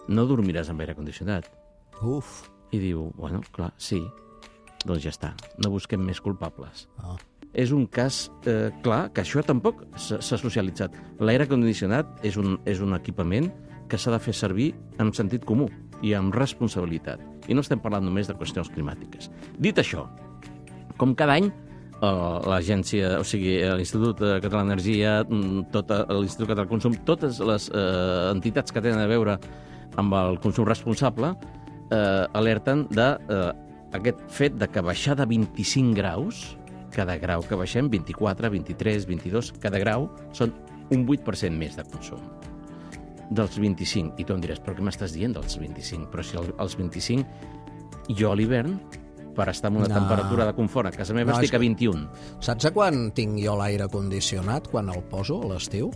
No dormiràs amb aire condicionat. Uf. I diu, bueno, clar, sí. Doncs ja està, no busquem més culpables. Ah. És un cas eh, clar que això tampoc s'ha socialitzat. L'aire condicionat és un, és un equipament que s'ha de fer servir amb sentit comú i amb responsabilitat. I no estem parlant només de qüestions climàtiques. Dit això, com cada any, eh, l'agència, o sigui, l'Institut Català d'Energia, tot l'Institut Català de Consum, totes les eh, entitats que tenen a veure amb el consum responsable, eh, alerten de eh, aquest fet de que baixar de vint-i-cinc graus, cada grau que baixem, vint-i-quatre, vint-i-tres, vint-i-dos, cada grau, són un vuit per cent més de consum. Dels vint-i-cinc. I tu em diràs, però què m'estàs dient dels vint-i-cinc? Però si els vint-i-cinc, jo a l'hivern, per estar en una no. temperatura de confort a casa meva, no, estic a vint-i-un. Saps a quan tinc jo l'aire condicionat, quan el poso a l'estiu?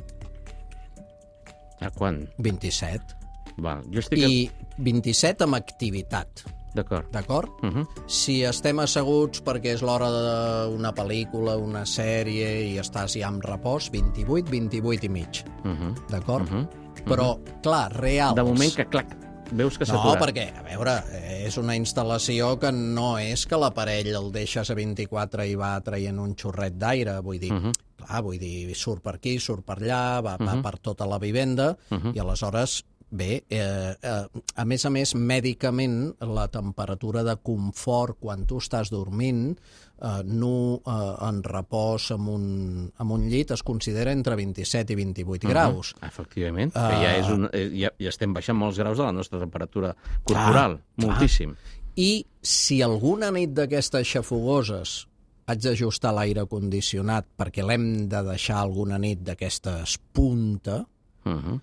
A quan? vint-i-set. Val, jo estic... I vint-i-set amb activitat. D'acord. D'acord? Uh -huh. Si estem asseguts perquè és l'hora d'una pel·lícula, una sèrie, i estàs ja amb repòs, vint-i-vuit, vint-i-vuit i mig. Uh -huh. D'acord? Uh -huh. Però, clar, reals... De moment que, clac, veus que s'ha No, aturat. perquè, a veure, és una instal·lació que no és que l'aparell el deixes a vint-i-quatre i va traient un xorret d'aire, vull dir, uh -huh. clar, vull dir, surt per aquí, surt per allà, va, uh -huh. va per tota la vivenda, uh -huh. i aleshores, bé, eh, eh, a més a més, mèdicament, la temperatura de confort quan tu estàs dormint, eh, nu eh, en repòs amb un, amb un llit, es considera entre vint-i-set i vint-i-vuit uh -huh. graus. Efectivament, uh... que ja, és un, ja, ja estem baixant molts graus de la nostra temperatura corporal, clar, moltíssim. Clar. I si alguna nit d'aquestes xafogoses haig d'ajustar l'aire condicionat perquè l'hem de deixar alguna nit d'aquestes punta, uh -huh.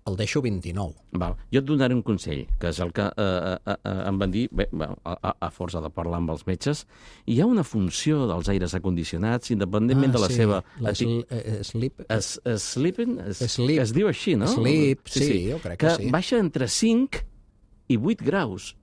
el deixo vint-i-nou. Val. Jo et donaré un consell, que és el que eh, eh, eh, em van dir, bé, a, a força de parlar amb els metges, hi ha una funció dels aires acondicionats, independentment ah, de la sí. seva... La sl eh, sleep... Es, es, sleeping? Es, sleep. Es diu així, no? Sleep, sí, sí, sí, jo crec que, que sí. Que baixa entre cinc i vuit graus.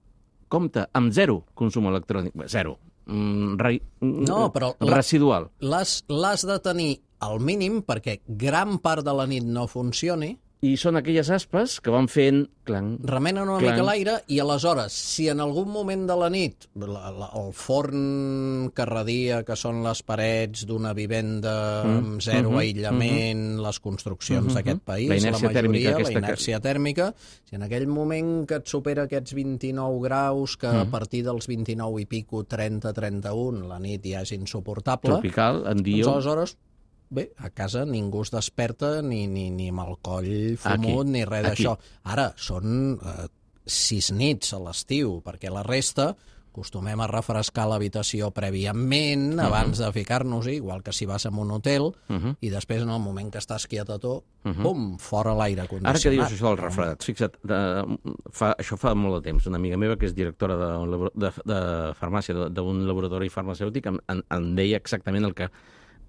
Compte, amb zero consum electrònic. Zero. Mm, re, no, però residual. L'has de tenir al mínim perquè gran part de la nit no funcioni. I són aquelles aspes que van fent... Clang, remenen una clang. mica l'aire i aleshores, si en algun moment de la nit la, la, el forn que radia, que són les parets d'una vivenda mm. amb zero mm -hmm. aïllament, mm -hmm. les construccions mm -hmm. d'aquest país, la, la majoria, la inèrcia que... tèrmica, si en aquell moment que et supera aquests vint-i-nou graus, que mm. a partir dels vint-i-nou i pico, trenta trenta un, la nit ja és insuportable... Tropical, en diu... Doncs aleshores... Bé, a casa ningú es desperta ni, ni, ni amb el coll fumut aquí, ni res d'això. Ara, són eh, sis nits a l'estiu, perquè la resta acostumem a refrescar l'habitació prèviament, uh -huh. abans de ficar-nos-hi, igual que si vas a un hotel, uh -huh. i després, en el moment que estàs quietató, uh -huh. pum, fora l'aire condicionat. Ara que dius això dels refredats, fixa't, de, fa, això fa molt de temps. Una amiga meva, que és directora de, de, de farmàcia d'un laboratori farmacèutic, em, em, em deia exactament el que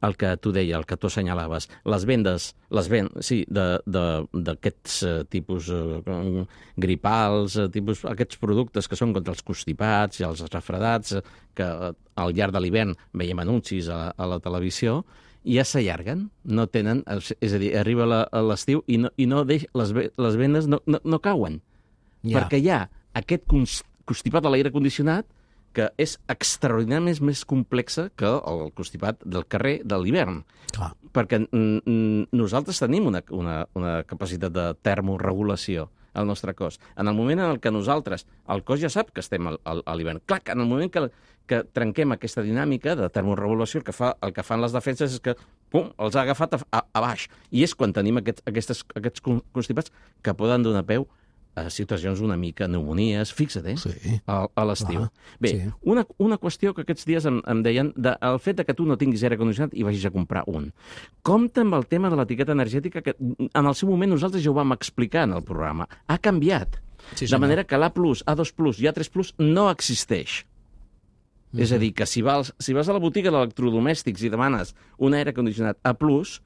el que tu deia, el que tu assenyalaves. Les vendes, les ven, sí, d'aquests uh, tipus uh, gripals, uh, tipus, aquests productes que són contra els constipats i els refredats, uh, que uh, al llarg de l'hivern veiem anuncis a, a la televisió, i ja s'allarguen, no tenen... És a dir, arriba l'estiu i, no, i no deix, les, les vendes no, no, no cauen. Ja. Perquè hi ha aquest constipat a l'aire condicionat que és extraordinàriament més complexa que el constipat del carrer de l'hivern. Perquè mm, nosaltres tenim una, una, una capacitat de termorregulació al nostre cos. En el moment en què nosaltres, el cos ja sap que estem al, al, a l'hivern. Clar, en el moment que, que trenquem aquesta dinàmica de termorregulació, el que, fa, el que fan les defenses és que pum, els ha agafat a, a, a baix. I és quan tenim aquest, aquestes, aquests constipats que poden donar peu a situacions una mica pneumonies, fixa't, eh? Sí. A, a l'estiu. Ah, Bé, sí. una, una qüestió que aquests dies em, em deien, de, el fet de que tu no tinguis aire condicionat i vagis a comprar un. Compte amb el tema de l'etiqueta energètica, que en el seu moment nosaltres ja ho vam explicar en el programa. Ha canviat. Sí, de manera que l'A plus, A dos plus i A tres plus no existeix. Mm-hmm. És a dir, que si vas, si vas a la botiga d'electrodomèstics i demanes un aire condicionat A plus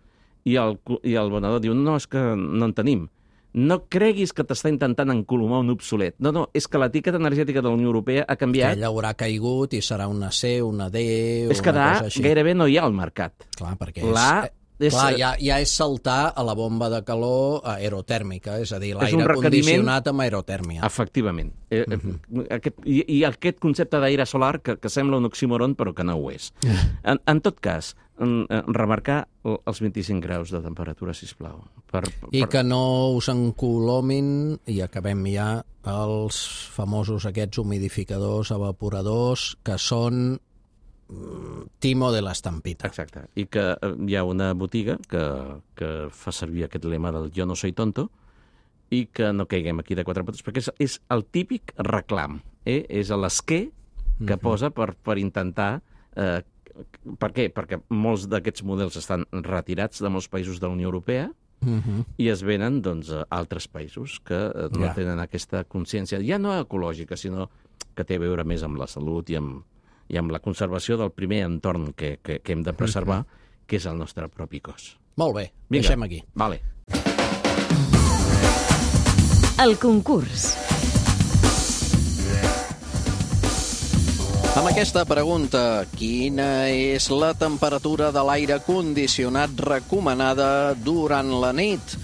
i el, i el venedor diu, no, és que no en tenim. No creguis que t'està intentant encolomar un obsolet. No, no, és que l'etiqueta energètica de la Unió Europea ha canviat. Que ella haurà caigut i serà una C, una D, és que una cosa així. Gairebé no hi ha al mercat. Clar, perquè la... és... És... Clar, ja, ja és saltar a la bomba de calor aerotèrmica, és a dir, l'aire condicionat amb aerotèrmia. Efectivament. Eh, uh-huh. aquest, i, I aquest concepte d'aire solar que, que sembla un oxímoron, però que no ho és. En, en tot cas, en, en remarcar els vint-i-cinc graus de temperatura, sisplau. Per, per... I que no us encolomin, i acabem ja, els famosos aquests humidificadors, evaporadors, que són Timo de l'estampita. Exacte. I que hi ha una botiga que, que fa servir aquest lema del jo no soy tonto i que no caiguem aquí de quatre potes, perquè és, és el típic reclam. Eh? És l'esquer que uh-huh. posa per, per intentar... Eh, per què? Perquè molts d'aquests models estan retirats de molts països de la Unió Europea uh-huh. i es venen doncs, a altres països que no ja. tenen aquesta consciència, ja no ecològica, sinó que té a veure més amb la salut i amb i amb la conservació del primer entorn que, que, que hem de preservar, que és el nostre propi cos. Molt bé, Vinga. Deixem aquí. Vale. El concurs. Amb aquesta pregunta, quina és la temperatura de l'aire condicionat recomanada durant la nit?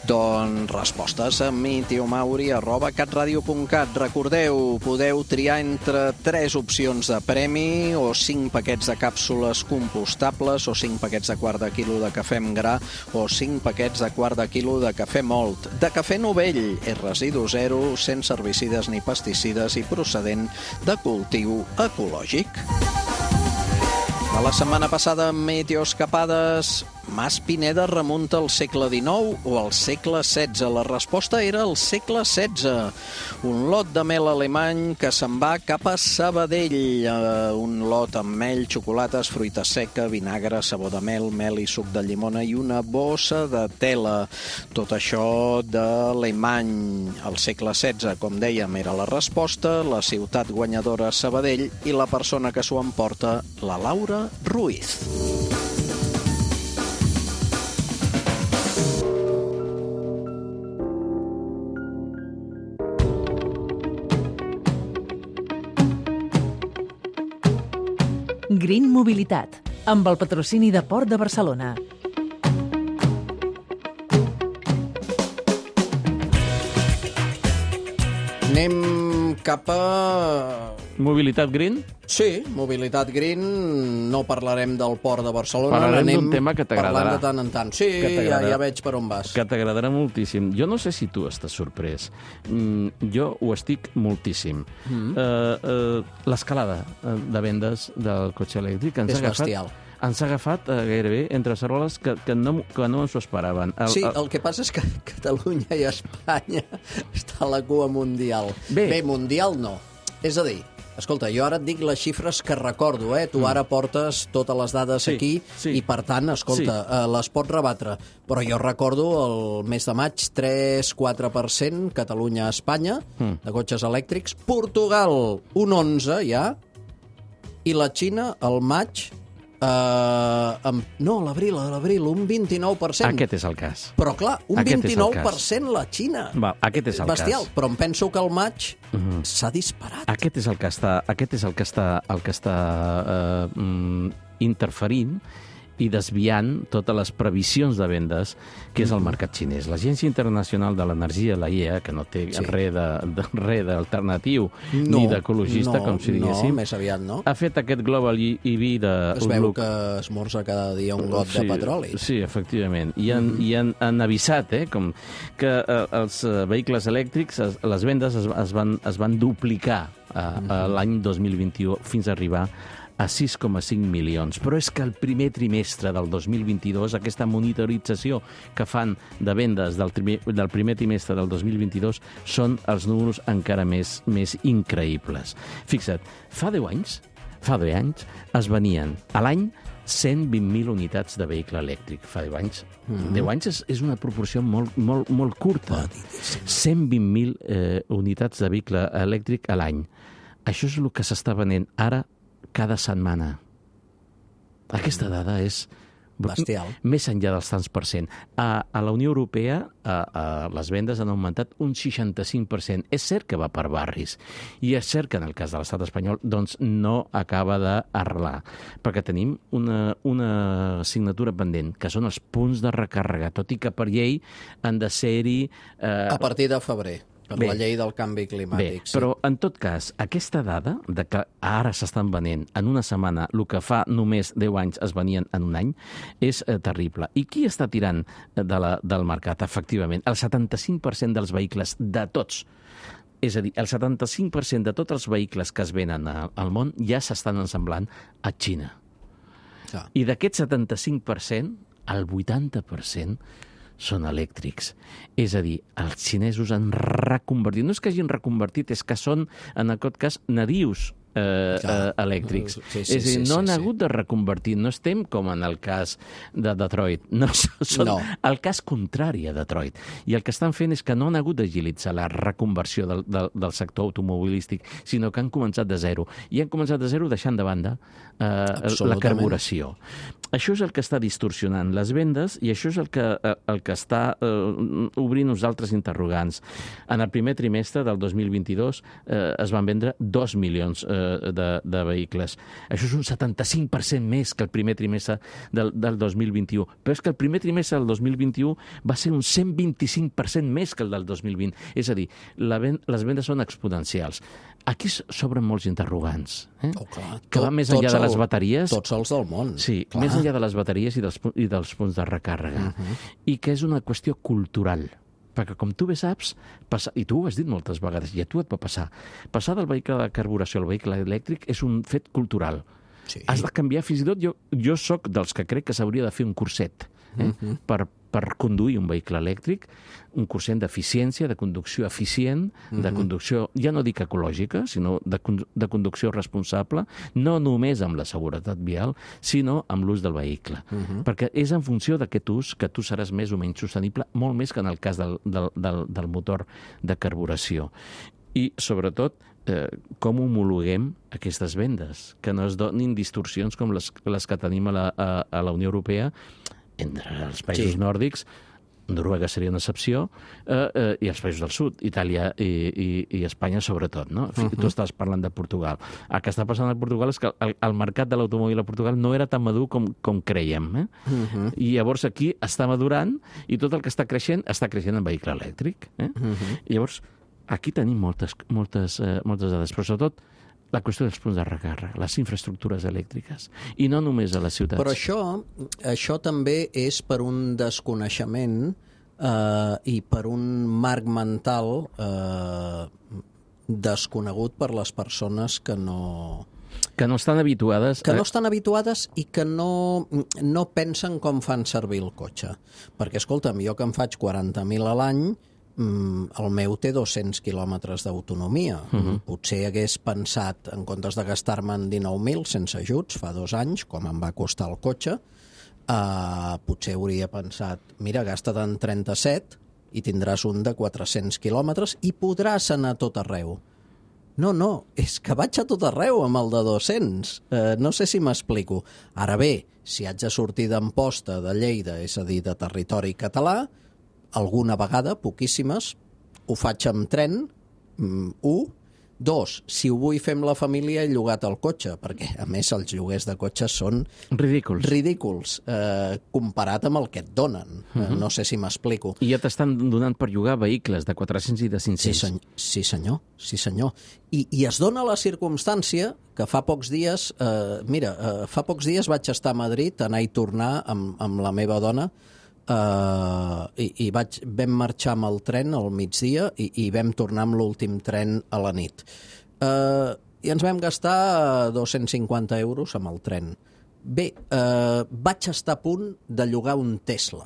Doncs respostes a mitiomauri arroba catradio punt cat. Recordeu, podeu triar entre tres opcions de premi, o cinc paquets de càpsules compostables, o cinc paquets de quart de quilo de cafè amb gra, o cinc paquets de quart de quilo de cafè mòlt. De cafè novell, és residu zero, sense herbicides ni pesticides i procedent de cultiu ecològic. De la setmana passada, Meteoescapades, Mas Pineda remunta al segle dinou o al segle setze? La resposta era el segle setze. Un lot de mel alemany que se'n va cap a Sabadell. Uh, un lot amb mel, xocolates, fruita seca, vinagre, sabó de mel, mel i suc de llimona i una bossa de tela. Tot això d'Alemany. Al segle setze, com dèiem, era la resposta. La ciutat guanyadora, Sabadell, i la persona que s'ho emporta, la Laura Ruiz. Green Mobilitat, amb el patrocini de Port de Barcelona. Anem cap a... Mobilitat green? Sí, mobilitat green. No parlarem del Port de Barcelona. Parlarem d'un tema que t'agradarà. Parlant de tant en tant. Sí, ja, ja veig per on vas. Que t'agradarà moltíssim. Jo no sé si tu estàs sorprès. Mm, jo ho estic moltíssim. Mm. Uh, uh, L'escalada de vendes del cotxe elèctric ens és ha agafat... bestial. Ens ha agafat uh, gairebé entre ceroles que, que no, que no ens ho esperaven. El, sí, el que passa és que Catalunya i Espanya està a la cua mundial. Bé, Bé mundial no. És a dir, escolta, jo ara et dic les xifres que recordo, eh? Tu ara portes totes les dades sí, aquí sí. i, per tant, escolta, sí. eh, les pots rebatre. Però jo recordo el mes de maig, tres a quatre per cent, Catalunya-Espanya, mm. de cotxes elèctrics. Portugal, un onze ja. I la Xina, al maig... Uh, amb, no, a l'abril, a l'abril, un vint-i-nou per cent. Aquest és el cas. Però clar, un aquest vint-i-nou per cent la Xina. Va, aquest és el Bestial, cas. Però em penso que el maig uh -huh. s'ha disparat. Aquest és el que està, aquest és el que està, el que està uh, mm, interferint i desviant totes les previsions de vendes, que és el mercat xinès. L'Agència Internacional de l'Energia, la I E A, que no té sí. res d'alternatiu no, ni d'ecologista, no, com si diguéssim, no, més aviat no. ha fet aquest Global E V de... Es veu que esmorza cada dia un got sí, de petroli. Sí, efectivament. I han, mm -hmm. i han, han avisat eh, com que eh, els vehicles elèctrics, es, les vendes es, es, van, es van duplicar a, a l'any dos mil vint-i-u fins a arribar a sis coma cinc milions. Però és que el primer trimestre del dos mil vint-i-dos, aquesta monitorització que fan de vendes del, trimer, del primer trimestre del dos mil vint-i-dos, són els números encara més, més increïbles. Fixa't, fa deu anys, fa deu anys es venien a l'any cent vint mil unitats de vehicle elèctric. Fa deu anys. Mm-hmm. deu anys és, és una proporció molt, molt, molt curta. cent vint mil eh, unitats de vehicle elèctric a l'any. Això és el que s'està venent ara cada setmana. Aquesta dada és bestial. Més enllà dels tants per cent. A, a la Unió Europea a, a les vendes han augmentat un seixanta-cinc per cent. És cert que va per barris. I és cert que en el cas de l'estat espanyol doncs no acaba d'arrelar. Perquè tenim una, una assignatura pendent, que són els punts de recàrrega, tot i que per llei han de ser-hi... Eh... A partir de febrer. Per bé, la llei del canvi climàtic. Bé, sí. Però, en tot cas, aquesta dada de que ara s'estan venent en una setmana el que fa només deu anys es venien en un any, és eh, terrible. I qui està tirant de la, del mercat? Efectivament, el setanta-cinc per cent dels vehicles, de tots, és a dir, el setanta-cinc per cent de tots els vehicles que es venen a, al món ja s'estan ensamblant a Xina. Ah. I d'aquest setanta-cinc per cent, el vuitanta per cent són elèctrics. És a dir, els xinesos han reconvertit. No és que hagin reconvertit, és que són, en aquest cas, nadius eh, eh, elèctrics. Sí, sí, és a dir, no sí, han sí. hagut de reconvertir. No estem com en el cas de Detroit. No, són no. el cas contrari a Detroit. I el que estan fent és que no han hagut d'agilitzar la reconversió del, del, del sector automobilístic, sinó que han començat de zero. I han començat de zero deixant de banda eh, la carburació. això és el que està distorsionant les vendes i això és el que, el que està eh, obrint uns altres interrogants. En el primer trimestre del dos mil vint-i-dos eh, es van vendre dos milions eh, de, de vehicles. Això és un setanta-cinc per cent més que el primer trimestre del, del dos mil vint-i-u. Però és que el primer trimestre del dos mil vint-i-u va ser un cent vint-i-cinc per cent més que el del dos mil vint. És a dir, la ven les vendes són exponencials. Aquí s'obren molts interrogants, eh? Oh, clar. Que van més enllà de les bateries. Tots els del món. Sí, clar. Més enllà de les bateries i dels, i dels punts de recàrrega. Uh -huh. I que és una qüestió cultural. Perquè, com tu bé saps, passa, i tu ho has dit moltes vegades, i a tu et va passar, passar del vehicle de carburació al vehicle elèctric és un fet cultural. Sí. Has de canviar, fins i tot, jo, jo sóc dels que crec que s'hauria de fer un curset eh? uh -huh. per, per conduir un vehicle elèctric, un curset d'eficiència, de conducció eficient, uh -huh. de conducció, ja no dic ecològica, sinó de, de conducció responsable, no només amb la seguretat vial, sinó amb l'ús del vehicle. Uh -huh. Perquè és en funció d'aquest ús que tu seràs més o menys sostenible, molt més que en el cas del, del, del, del motor de carburació. I, sobretot, eh, com homologuem aquestes vendes, que no es donin distorsions com les, les que tenim a la, a, a la Unió Europea, entre els països sí. nòrdics, Noruega seria una excepció, eh, eh, i els països del sud, Itàlia i, i, i Espanya sobretot, no? Uh -huh. Tu estàs parlant de Portugal. El que està passant a Portugal és que el, el mercat de l'automòbil a Portugal no era tan madur com, com creiem, eh? Uh -huh. I llavors aquí està madurant i tot el que està creixent està creixent en vehicle elèctric, eh? Uh -huh. I llavors aquí tenim moltes, moltes, eh, moltes dades, però sobretot la qüestió dels punts de recàrrega, les infraestructures elèctriques, i no només a les ciutats. Però això, això també és per un desconeixement eh, i per un marc mental eh, desconegut per les persones que no... Que no estan habituades... Que no estan habituades i que no, no pensen com fan servir el cotxe. Perquè, escolta'm, jo que em faig quaranta mil a l'any, el meu té dos-cents quilòmetres d'autonomia. Uh -huh. Potser hagués pensat, en comptes de gastar-me'n dinou mil sense ajuts fa dos anys, com em va costar el cotxe, uh, potser hauria pensat, mira, gasta't trenta-set i tindràs un de quatre-cents quilòmetres i podràs anar a tot arreu. No, no, és que vaig a tot arreu amb el de dos-cents. Uh, no sé si m'explico. Ara bé, si haig de sortir d'Amposta, de Lleida, és a dir, de territori català, alguna vegada, poquíssimes, ho faig amb tren, mm, un. Dos, si ho vull fer amb la família, he llogat el cotxe, perquè, a més, els lloguers de cotxes són... Ridículs. Ridículs, eh, comparat amb el que et donen. Uh -huh. No sé si m'explico. I ja t'estan donant per llogar vehicles de quatre-cents i de cinc-cents. Sí, senyor. Sí, senyor. Sí, senyor. I, I es dona la circumstància que fa pocs dies... Eh, mira, eh, fa pocs dies vaig estar a Madrid, anar i tornar amb, amb la meva dona, Uh, i, i vaig, vam marxar amb el tren al migdia i, i vam tornar amb l'últim tren a la nit. Uh, I ens vam gastar dos-cents cinquanta euros amb el tren. Bé, uh, vaig estar a punt de llogar un Tesla,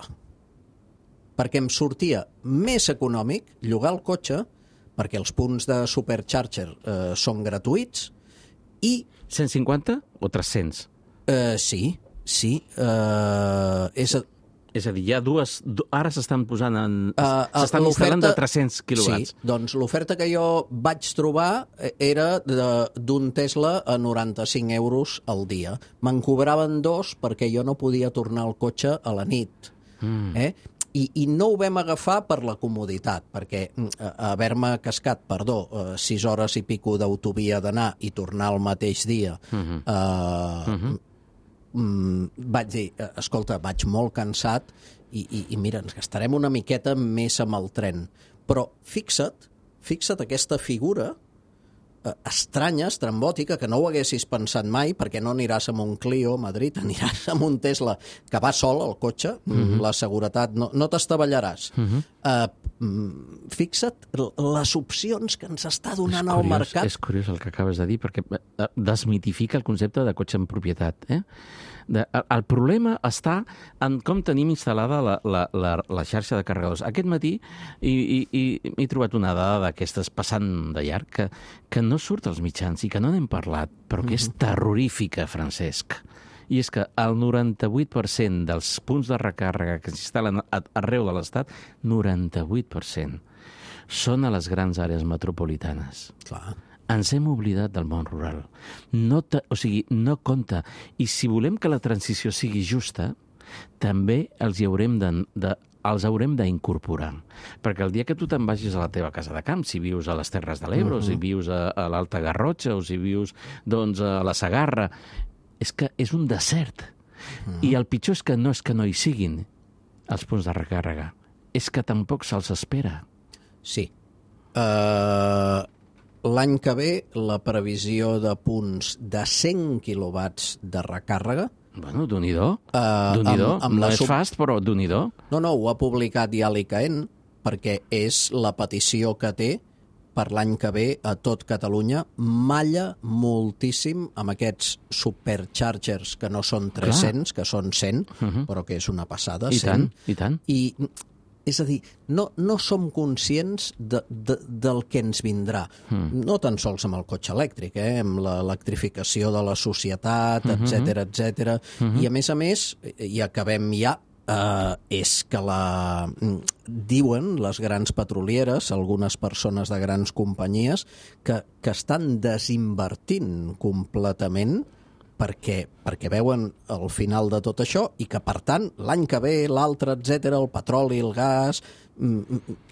perquè em sortia més econòmic llogar el cotxe, perquè els punts de Supercharger uh, són gratuïts, i... cent cinquanta o tres-cents? Uh, sí, sí. Uh, és... A... És a dir, hi ha dues... Ara s'estan posant en... Uh, s'estan instal·lant de tres-cents quilowatts. Sí, doncs l'oferta que jo vaig trobar era d'un Tesla a noranta-cinc euros al dia. Me'n cobraven dos perquè jo no podia tornar al cotxe a la nit. Mm. Eh? I, I no ho vam agafar per la comoditat, perquè haver-me cascat, perdó, sis hores i pico d'autovia d'anar i tornar el mateix dia... Mm-hmm. Eh, mm-hmm. Mm, vaig dir, escolta, vaig molt cansat i, i, i mira, ens gastarem una miqueta més amb el tren. Però fixa't, fixa't aquesta figura eh, estranya, estrambòtica, que no ho haguessis pensat mai, perquè no aniràs amb un Clio a Madrid, aniràs amb un Tesla que va sol al cotxe, mm-hmm. la seguretat, no, no t'estavellaràs. Mm-hmm. eh, fixa't les opcions que ens està donant curiós, al mercat. És curiós el que acabes de dir, perquè desmitifica el concepte de cotxe en propietat. Eh? De, el problema està en com tenim instal·lada la, la, la, la xarxa de carregadors. Aquest matí he, he, he trobat una dada d'aquestes passant de llarg que, que no surt als mitjans i que no n'hem parlat, però que és terrorífica, Francesc. I és que el noranta-vuit per cent dels punts de recàrrega que s'instal·len arreu de l'Estat, noranta-vuit per cent, són a les grans àrees metropolitanes. Clar. ens hem oblidat del món rural. No te, o sigui, no compta. I si volem que la transició sigui justa, també els hi haurem de, de els haurem d'incorporar. Perquè el dia que tu te'n vagis a la teva casa de camp, si vius a les Terres de l'Ebre, uh-huh. o si vius a, a l'Alta Garrotxa, o si vius doncs, a la Segarra, és que és un desert. Uh-huh. I el pitjor és que no és que no hi siguin els punts de recàrrega, és que tampoc se'ls espera. Sí. Uh, l'any que ve, la previsió de punts de cent quilowatts de recàrrega. Bueno, d'un-i-do. Uh, d'un-i-do. Amb, amb no la és sub... fast, però d'un-i-do. No, no, ho ha publicat ja l'I C A E N, perquè és la petició que té per l'any que ve a tot Catalunya. Malla moltíssim amb aquests superchargers que no són tres-cents, Clar. que són cent, uh-huh. però que és una passada. I cent. tant, i tant. I, és a dir, no, no som conscients de, de, del que ens vindrà. Mm. No tan sols amb el cotxe elèctric, eh? Amb l'electrificació de la societat, mm-hmm. etcètera, etcètera. Mm-hmm. I a més a més, i acabem ja, eh, és que la... diuen les grans petrolieres, algunes persones de grans companyies, que, que estan desinvertint completament perquè, perquè veuen el final de tot això i que, per tant, l'any que ve, l'altre, etcètera, el petroli, el gas,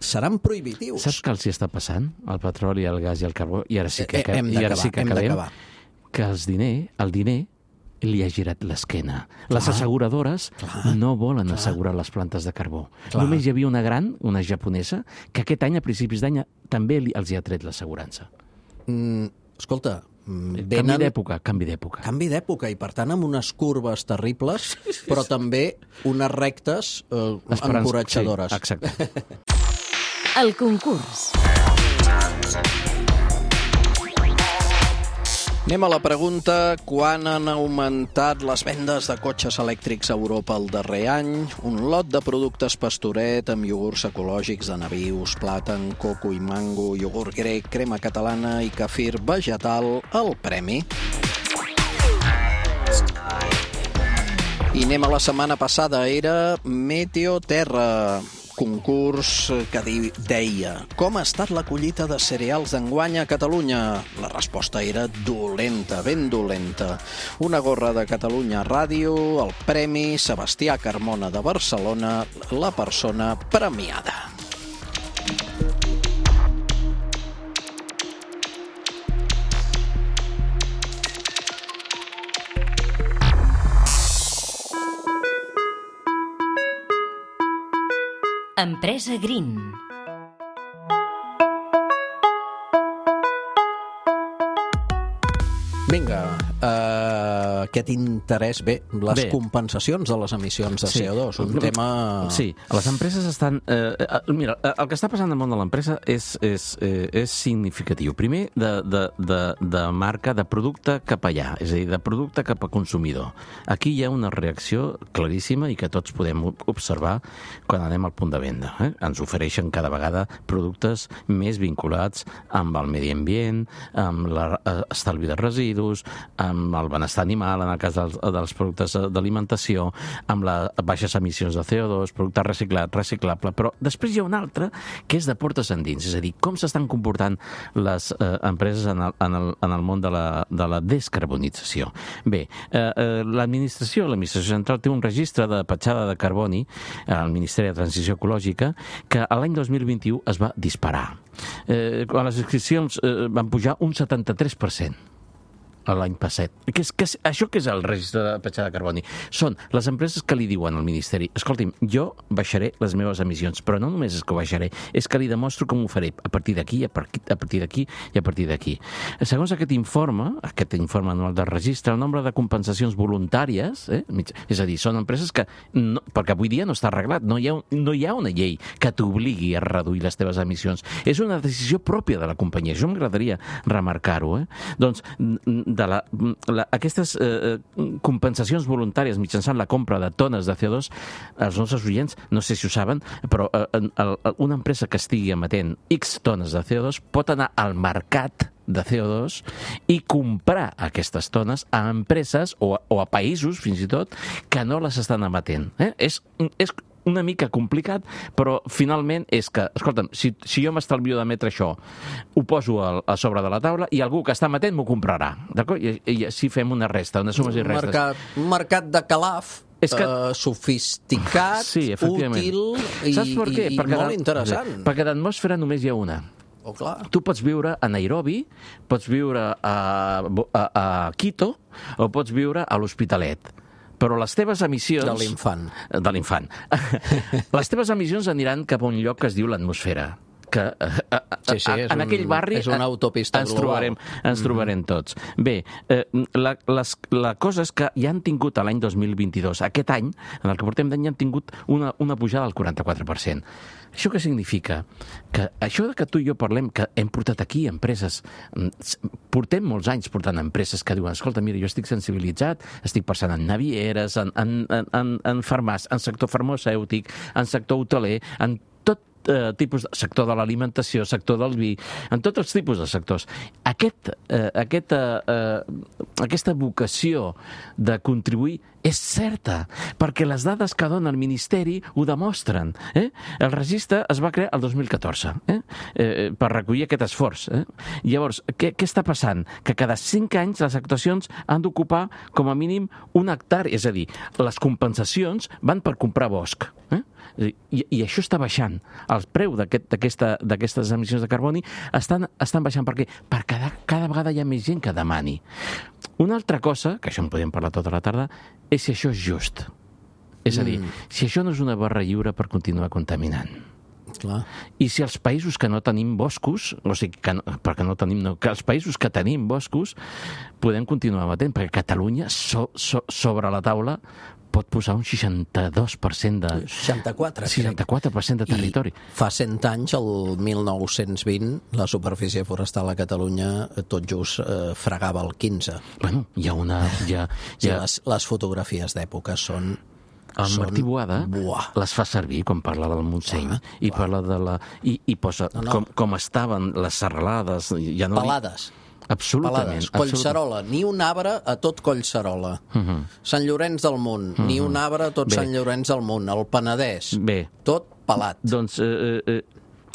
seran prohibitius. Saps què els hi està passant? El petroli, el gas i el carbó? I ara sí que, eh, hem i ara sí que hem acabem. d'acabar. Que els diner, el diner li ha girat l'esquena. Les asseguradores clar, no volen clar. assegurar les plantes de carbó. Clar. Només hi havia una gran, una japonesa, que aquest any, a principis d'any, també li, els hi ha tret l'assegurança. Mm, escolta, venen... Canvi d'època, canvi d'època. Canvi d'època, i per tant amb unes curves terribles, però també unes rectes eh, encoratjadores. Sí, exacte. El concurs. Anem a la pregunta: quan han augmentat les vendes de cotxes elèctrics a Europa el darrer any? Un lot de productes Pastoret amb iogurts ecològics de nabius, plàtan, coco i mango, iogurt grec, crema catalana i kefir vegetal al premi. I anem a la setmana passada, era Meteo Terra, concurs que deia: com ha estat la collita de cereals d'enguany a Catalunya? La resposta era dolenta, ben dolenta. Una gorra de Catalunya Ràdio, el premi Sebastià Carmona de Barcelona, la persona premiada. Empresa Green. Vinga, uh, aquest interès, bé, les bé. compensacions de les emissions de sí. C O dos, un tema... Sí, les empreses estan... Eh, eh, mira, el que està passant al món de l'empresa és, és, eh, és significatiu. Primer, de, de, de, de marca, de producte cap allà, és a dir, de producte cap a consumidor. Aquí hi ha una reacció claríssima i que tots podem observar quan anem al punt de venda. Eh? Ens ofereixen cada vegada productes més vinculats amb el medi ambient, amb l'estalvi de residus, amb el benestar animal, en el cas dels, dels productes d'alimentació, amb les baixes emissions de C O dos, producte reciclat, reciclable, però després hi ha un altre que és de portes endins, és a dir, com s'estan comportant les eh, empreses en el, en, el, en el món de la, de la descarbonització. Bé, eh, eh, l'administració, l'administració central té un registre de petjada de carboni al Ministeri de Transició Ecològica que l'any dos mil vint-i-u es va disparar. Eh, quan les inscripcions eh, van pujar un setanta-tres per cent. L'any passat. Que és, que és, això que és el registre de petjada de carboni? Són les empreses que li diuen al Ministeri: escolti'm, jo baixaré les meves emissions, però no només és que ho baixaré, és que li demostro com ho faré a partir d'aquí, a partir d'aquí i a partir d'aquí. Segons aquest informe, aquest informe anual del registre, el nombre de compensacions voluntàries, eh, és a dir, són empreses que, no, perquè avui dia no està arreglat, no hi ha, no hi ha una llei que t'obligui a reduir les teves emissions. És una decisió pròpia de la companyia. Això m'agradaria remarcar-ho. Eh? Doncs, de la, la, aquestes eh, compensacions voluntàries mitjançant la compra de tones de C O dos, els nostres oients, no sé si ho saben, però eh, el, una empresa que estigui emetent X tones de C O dos pot anar al mercat de C O dos i comprar aquestes tones a empreses o a, o a països, fins i tot, que no les estan emetent. Eh? És, és una mica complicat, però finalment és que, escolta'm, si, si jo m'estalvio d'emetre això, ho poso a, a sobre de la taula i algú que està amatent m'ho comprarà, d'acord? I, i així fem una resta, una sumes i restes. Mercat, un mercat de calaf és que... uh, sofisticat, sí, útil i, Saps per què? i, i perquè molt interessant. Perquè d'atmosfera només hi ha una. Oh, clar. Tu pots viure a Nairobi, pots viure a, a, a Quito o pots viure a l'Hospitalet. Però les teves emissions... De l'infant. De l'infant. Les teves emissions aniran cap a un lloc que es diu l'atmosfera. Que a, a, sí, sí, en un, aquell barri és una autopista ens global. trobarem, ens trobarem tots. Bé, eh, la, les, la cosa és que ja han tingut l'any dos mil vint-i-dos, aquest any, en el que portem d'any, ja han tingut una, una pujada del quaranta-quatre per cent. Això què significa? Que això que tu i jo parlem, que hem portat aquí empreses, portem molts anys portant empreses que diuen, escolta, mira, jo estic sensibilitzat, estic pensant en navieres, en, en, en, en farmàcia, en sector farmacèutic, en sector hoteler, en tot eh, tipus de sector de l'alimentació, sector del vi, en tots els tipus de sectors. Aquest, eh, aquest, eh, aquesta vocació de contribuir és certa, perquè les dades que dona el Ministeri ho demostren. Eh? El registre es va crear el dos mil catorze eh? Eh, per recollir aquest esforç. Eh? Llavors, què, què està passant? Que cada cinc anys les actuacions han d'ocupar com a mínim un hectari, és a dir, les compensacions van per comprar bosc. Eh? I, i això està baixant. El preu d'aquestes aquest, emissions de carboni estan, estan baixant. Per què? Perquè cada, cada vegada hi ha més gent que demani. Una altra cosa, que això en podem parlar tota la tarda, és si això és just. És a dir, mm. si això no és una barra lliure per continuar contaminant. Clar. I si els països que no tenim boscos, o sigui, que no, perquè no tenim, no, que els països que tenim boscos podem continuar matent, perquè Catalunya so, so, sobre la taula pot posar un seixanta-dos per cent de... seixanta-quatre, seixanta-quatre per cent de territori. I fa cent anys, el mil nou-cents vint, la superfície forestal a Catalunya tot just eh, fregava el quinze. Bueno, hi ha una... Hi ha, hi ha... Sí, les, les fotografies d'època són... El Martí Boada Buah. les fa servir quan parla del Montseny ah, i parla de la... I, i posa no, no. Com, com estaven les serralades... Ja no Pelades. Absolutament. Pelades. Collserola, ni un arbre a tot Collserola. Uh -huh. Sant Llorenç del Munt, uh -huh. ni un arbre a tot Bé. Sant Llorenç del Munt. El Penedès, Bé. tot pelat. Doncs... Eh, eh,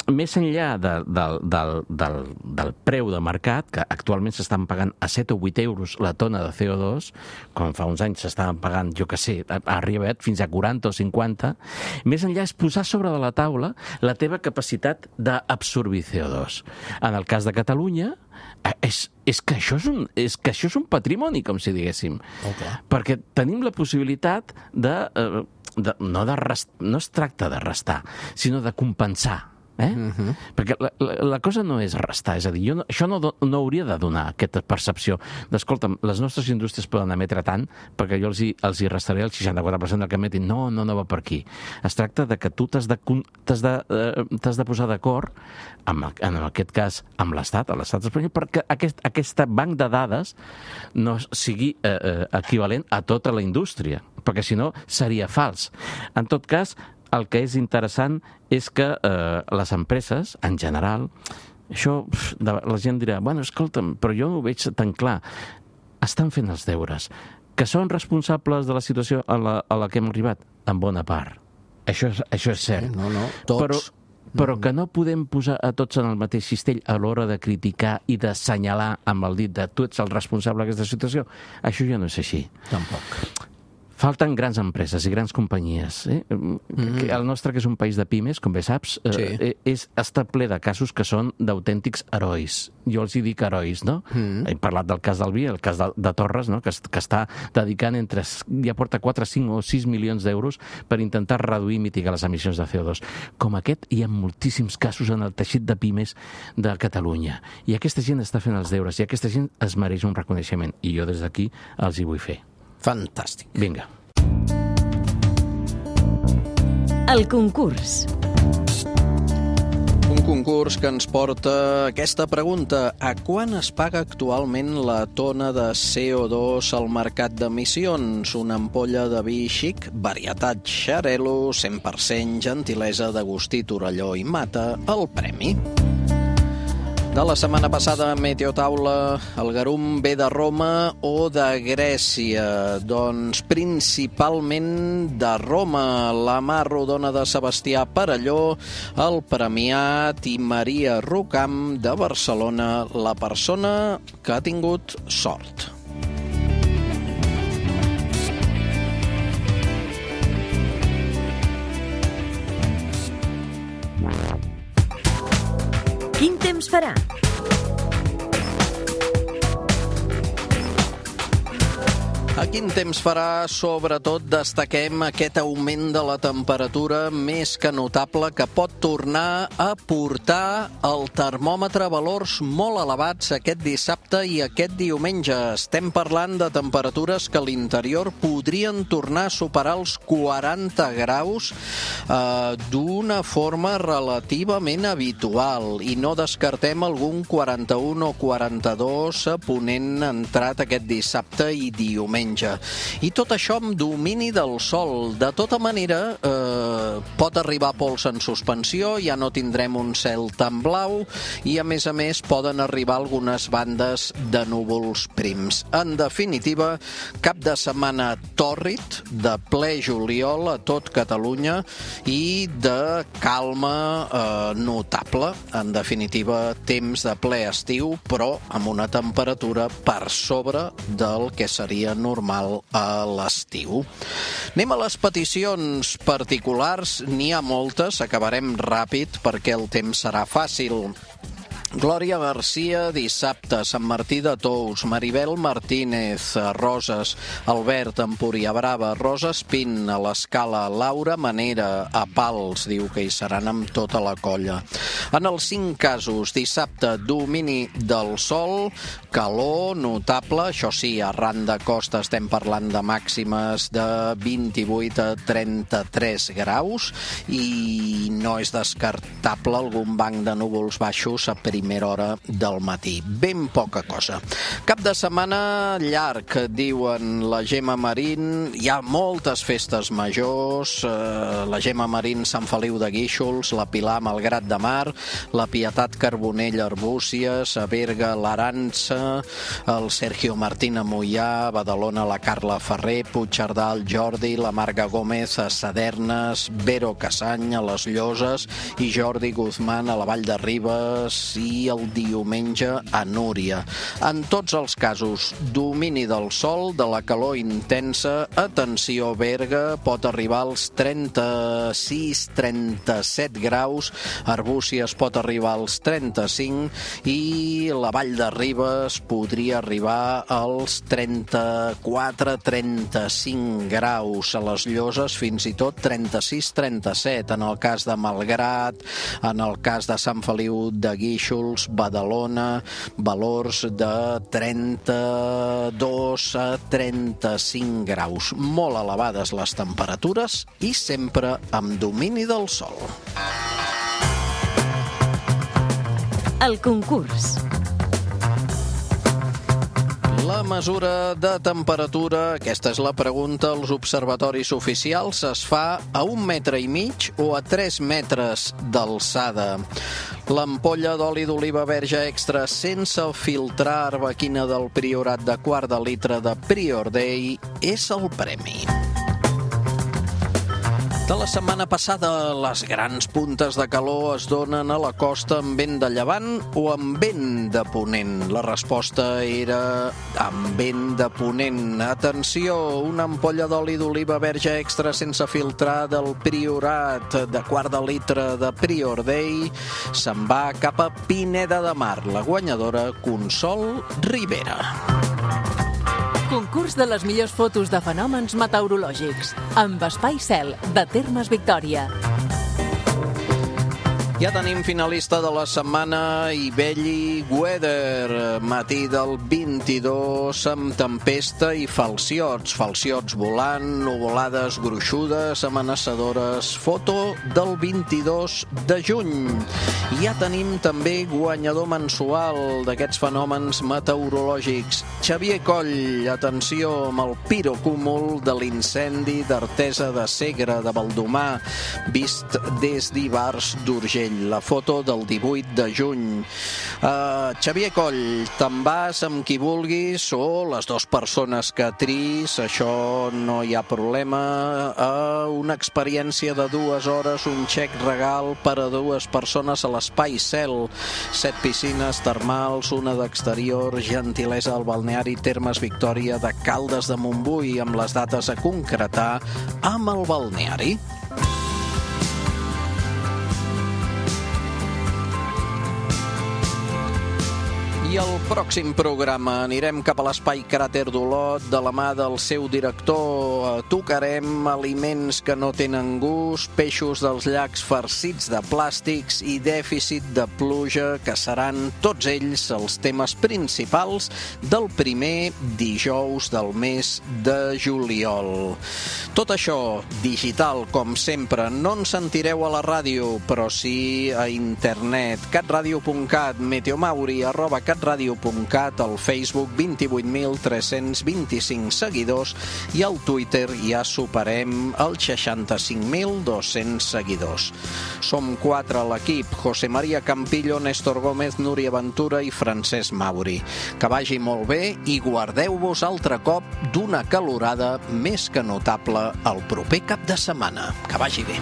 més enllà de, de, del, del, del preu de mercat, que actualment s'estan pagant a set o vuit euros la tona de C O dos, com fa uns anys s'estaven pagant, jo que sé, ha arribat fins a quaranta o cinquanta, més enllà és posar sobre de la taula la teva capacitat d'absorbir C O dos. En el cas de Catalunya, és, és, que això és, un, és que això és un patrimoni, com si diguéssim. Okay. Perquè tenim la possibilitat de... Eh, de no, de rest, no es tracta de restar, sinó de compensar. Eh? Uh-huh. Perquè la, la, la cosa no és restar, és a dir, jo no, això no, no hauria de donar aquesta percepció d'escolta'm, les nostres indústries poden emetre tant perquè jo els hi, els hi restaré el seixanta-quatre per cent del que emetin. No, no, no va per aquí. Es tracta de que tu t'has de, t'has de, eh, t'has de posar d'acord, amb, en aquest cas, amb l'Estat, a l'Estat espanyol, perquè aquest, aquesta banc de dades no sigui eh, eh, equivalent a tota la indústria, perquè si no seria fals. En tot cas, el que és interessant és que eh, les empreses, en general, això la gent dirà, bueno, escolta'm, però jo no ho veig tan clar. Estan fent els deures. Que són responsables de la situació a la, a la que hem arribat? En bona part. Això és, això és cert. No, no, tots. Però, però que no podem posar a tots en el mateix cistell a l'hora de criticar i d'assenyalar amb el dit de tu ets el responsable d'aquesta situació, això ja no és així. Tampoc. Falten grans empreses i grans companyies. Eh? Mm-hmm. El nostre, que és un país de pimes, com bé saps, sí. eh, és, està ple de casos que són d'autèntics herois. Jo els hi dic herois, no? Mm-hmm. He parlat del cas del vi, el cas de, de Torres, no? que, que està dedicant entre... ja porta quatre, cinc o sis milions d'euros per intentar reduir i mitigar les emissions de C O dos. Com aquest, hi ha moltíssims casos en el teixit de pimes de Catalunya. I aquesta gent està fent els deures, i aquesta gent es mereix un reconeixement. I jo des d'aquí els hi vull fer. Fantàstic. Vinga. El concurs. Un concurs que ens porta aquesta pregunta. A quan es paga actualment la tona de C O dos al mercat d'emissions? Una ampolla de vi xic, varietat Xarel·lo, cent per cent gentilesa d'Agustí Torelló i Mata, el premi. De la setmana passada, Meteotaula, el garum ve de Roma o de Grècia? Doncs principalment de Roma. La Mar Rodona de Sebastià Perelló, el Premiat, i Maria Rucam de Barcelona, la persona que ha tingut sort. Quin temps farà? A quin temps farà? Sobretot destaquem aquest augment de la temperatura més que notable que pot tornar a portar el termòmetre a valors molt elevats aquest dissabte i aquest diumenge. Estem parlant de temperatures que a l'interior podrien tornar a superar els quaranta graus eh, d'una forma relativament habitual, i no descartem algun quaranta-un o quaranta-dos a Ponent entrat aquest dissabte i diumenge. I tot això amb domini del sol. De tota manera, eh, pot arribar pols en suspensió, ja no tindrem un cel tan blau i, a més a més, poden arribar algunes bandes de núvols prims. En definitiva, cap de setmana tòrrid, de ple juliol a tot Catalunya i de calma eh, notable. En definitiva, temps de ple estiu, però amb una temperatura per sobre del que seria normal normal a l'estiu. Anem a les peticions particulars. N'hi ha moltes, acabarem ràpid perquè el temps serà fàcil. Glòria Garcia, dissabte, Sant Martí de Tous, Maribel Martínez, Roses, Albert, Empúria Brava, Rosa Espín, a l'Escala, Laura Manera, a Pals, diu que hi seran amb tota la colla. En els cinc casos, dissabte, domini del sol, calor notable, això sí, arran de costa estem parlant de màximes de vint-i-vuit a trenta-tres graus, i no és descartable algun banc de núvols baixos a primera hora del matí. Ben poca cosa. Cap de setmana llarg, diuen la Gemma Marín. Hi ha moltes festes majors. Eh, la Gemma Marín, Sant Feliu de Guíxols, la Pilar, Malgrat de Mar, la Pietat Carbonell, Arbúcies, a Berga, l'Arança, el Sergio Martín a Moià, Badalona, la Carla Ferrer, Puigcerdà, el Jordi, la Marga Gómez a Sadernes, Vero Casany a les Lloses i Jordi Guzmán a la Vall de Ribes, i el diumenge a Núria. En tots els casos, domini del sol, de la calor intensa. Atenció, Berga, pot arribar als trenta-sis trenta-set graus, Arbúcies pot arribar als trenta-cinc i la Vall de Ribes podria arribar als trenta-quatre trenta-cinc graus. A les Lloses fins i tot trenta-sis trenta-set. En el cas de Malgrat, en el cas de Sant Feliu de Guíxols, Badalona, valors de trenta-dos a trenta-cinc graus. Molt elevades les temperatures i sempre amb domini del sol. El concurs. La mesura de temperatura, aquesta és la pregunta, als observatoris oficials es fa a un metre i mig o a tres metres d'alçada. L'ampolla d'oli d'oliva verge extra sense filtrar arbequina del Priorat de quart de litre de Prior Day és el premi. De la setmana passada, les grans puntes de calor es donen a la costa amb vent de llevant o amb vent de ponent. La resposta era amb vent de ponent. Atenció, una ampolla d'oli d'oliva verge extra sense filtrar del Priorat de quart de litre de Prior Day se'n va cap a Pineda de Mar. La guanyadora, Consol Rivera. Concurs de les millors fotos de fenòmens meteorològics amb Espai Cel, de Termes Victòria. Ja tenim finalista de la setmana, Ibelli Weather, matí del vint-i-dos amb tempesta i falciots, falciots volant, nuvolades gruixudes, amenaçadores, foto del vint-i-dos de juny. Ja tenim també guanyador mensual d'aquests fenòmens meteorològics, Xavier Coll, atenció amb el pirocúmul de l'incendi d'Artesa de Segre de Baldomar, vist des d'Ivars d'Urgell. Sabadell, la foto del divuit de juny. Uh, Xavier Coll, te'n vas amb qui vulguis o les dues persones que tris, això no hi ha problema. Uh, una experiència de dues hores, un xec regal per a dues persones a l'Espai Cel. Set piscines termals, una d'exterior, gentilesa al balneari Termes Victòria de Caldes de Montbui, amb les dates a concretar amb el balneari. I el pròxim programa anirem cap a l'espai Cràter d'Olot de la mà del seu director. Tocarem aliments que no tenen gust, peixos dels llacs farcits de plàstics i dèficit de pluja, que seran tots ells els temes principals del primer dijous del mes de juliol. Tot això digital, com sempre. No ens sentireu a la ràdio, però sí a internet. catradio punt cat, meteomauri arroba catradio punt cat, al Facebook vint-i-vuit mil tres-cents vint-i-cinc seguidors i al Twitter ja superem els seixanta-cinc mil dos-cents seguidors. Som quatre a l'equip: José María Campillo, Néstor Gómez, Núria Ventura i Francesc Mauri. Que vagi molt bé i guardeu-vos altre cop d'una calorada més que notable el proper cap de setmana. Que vagi bé.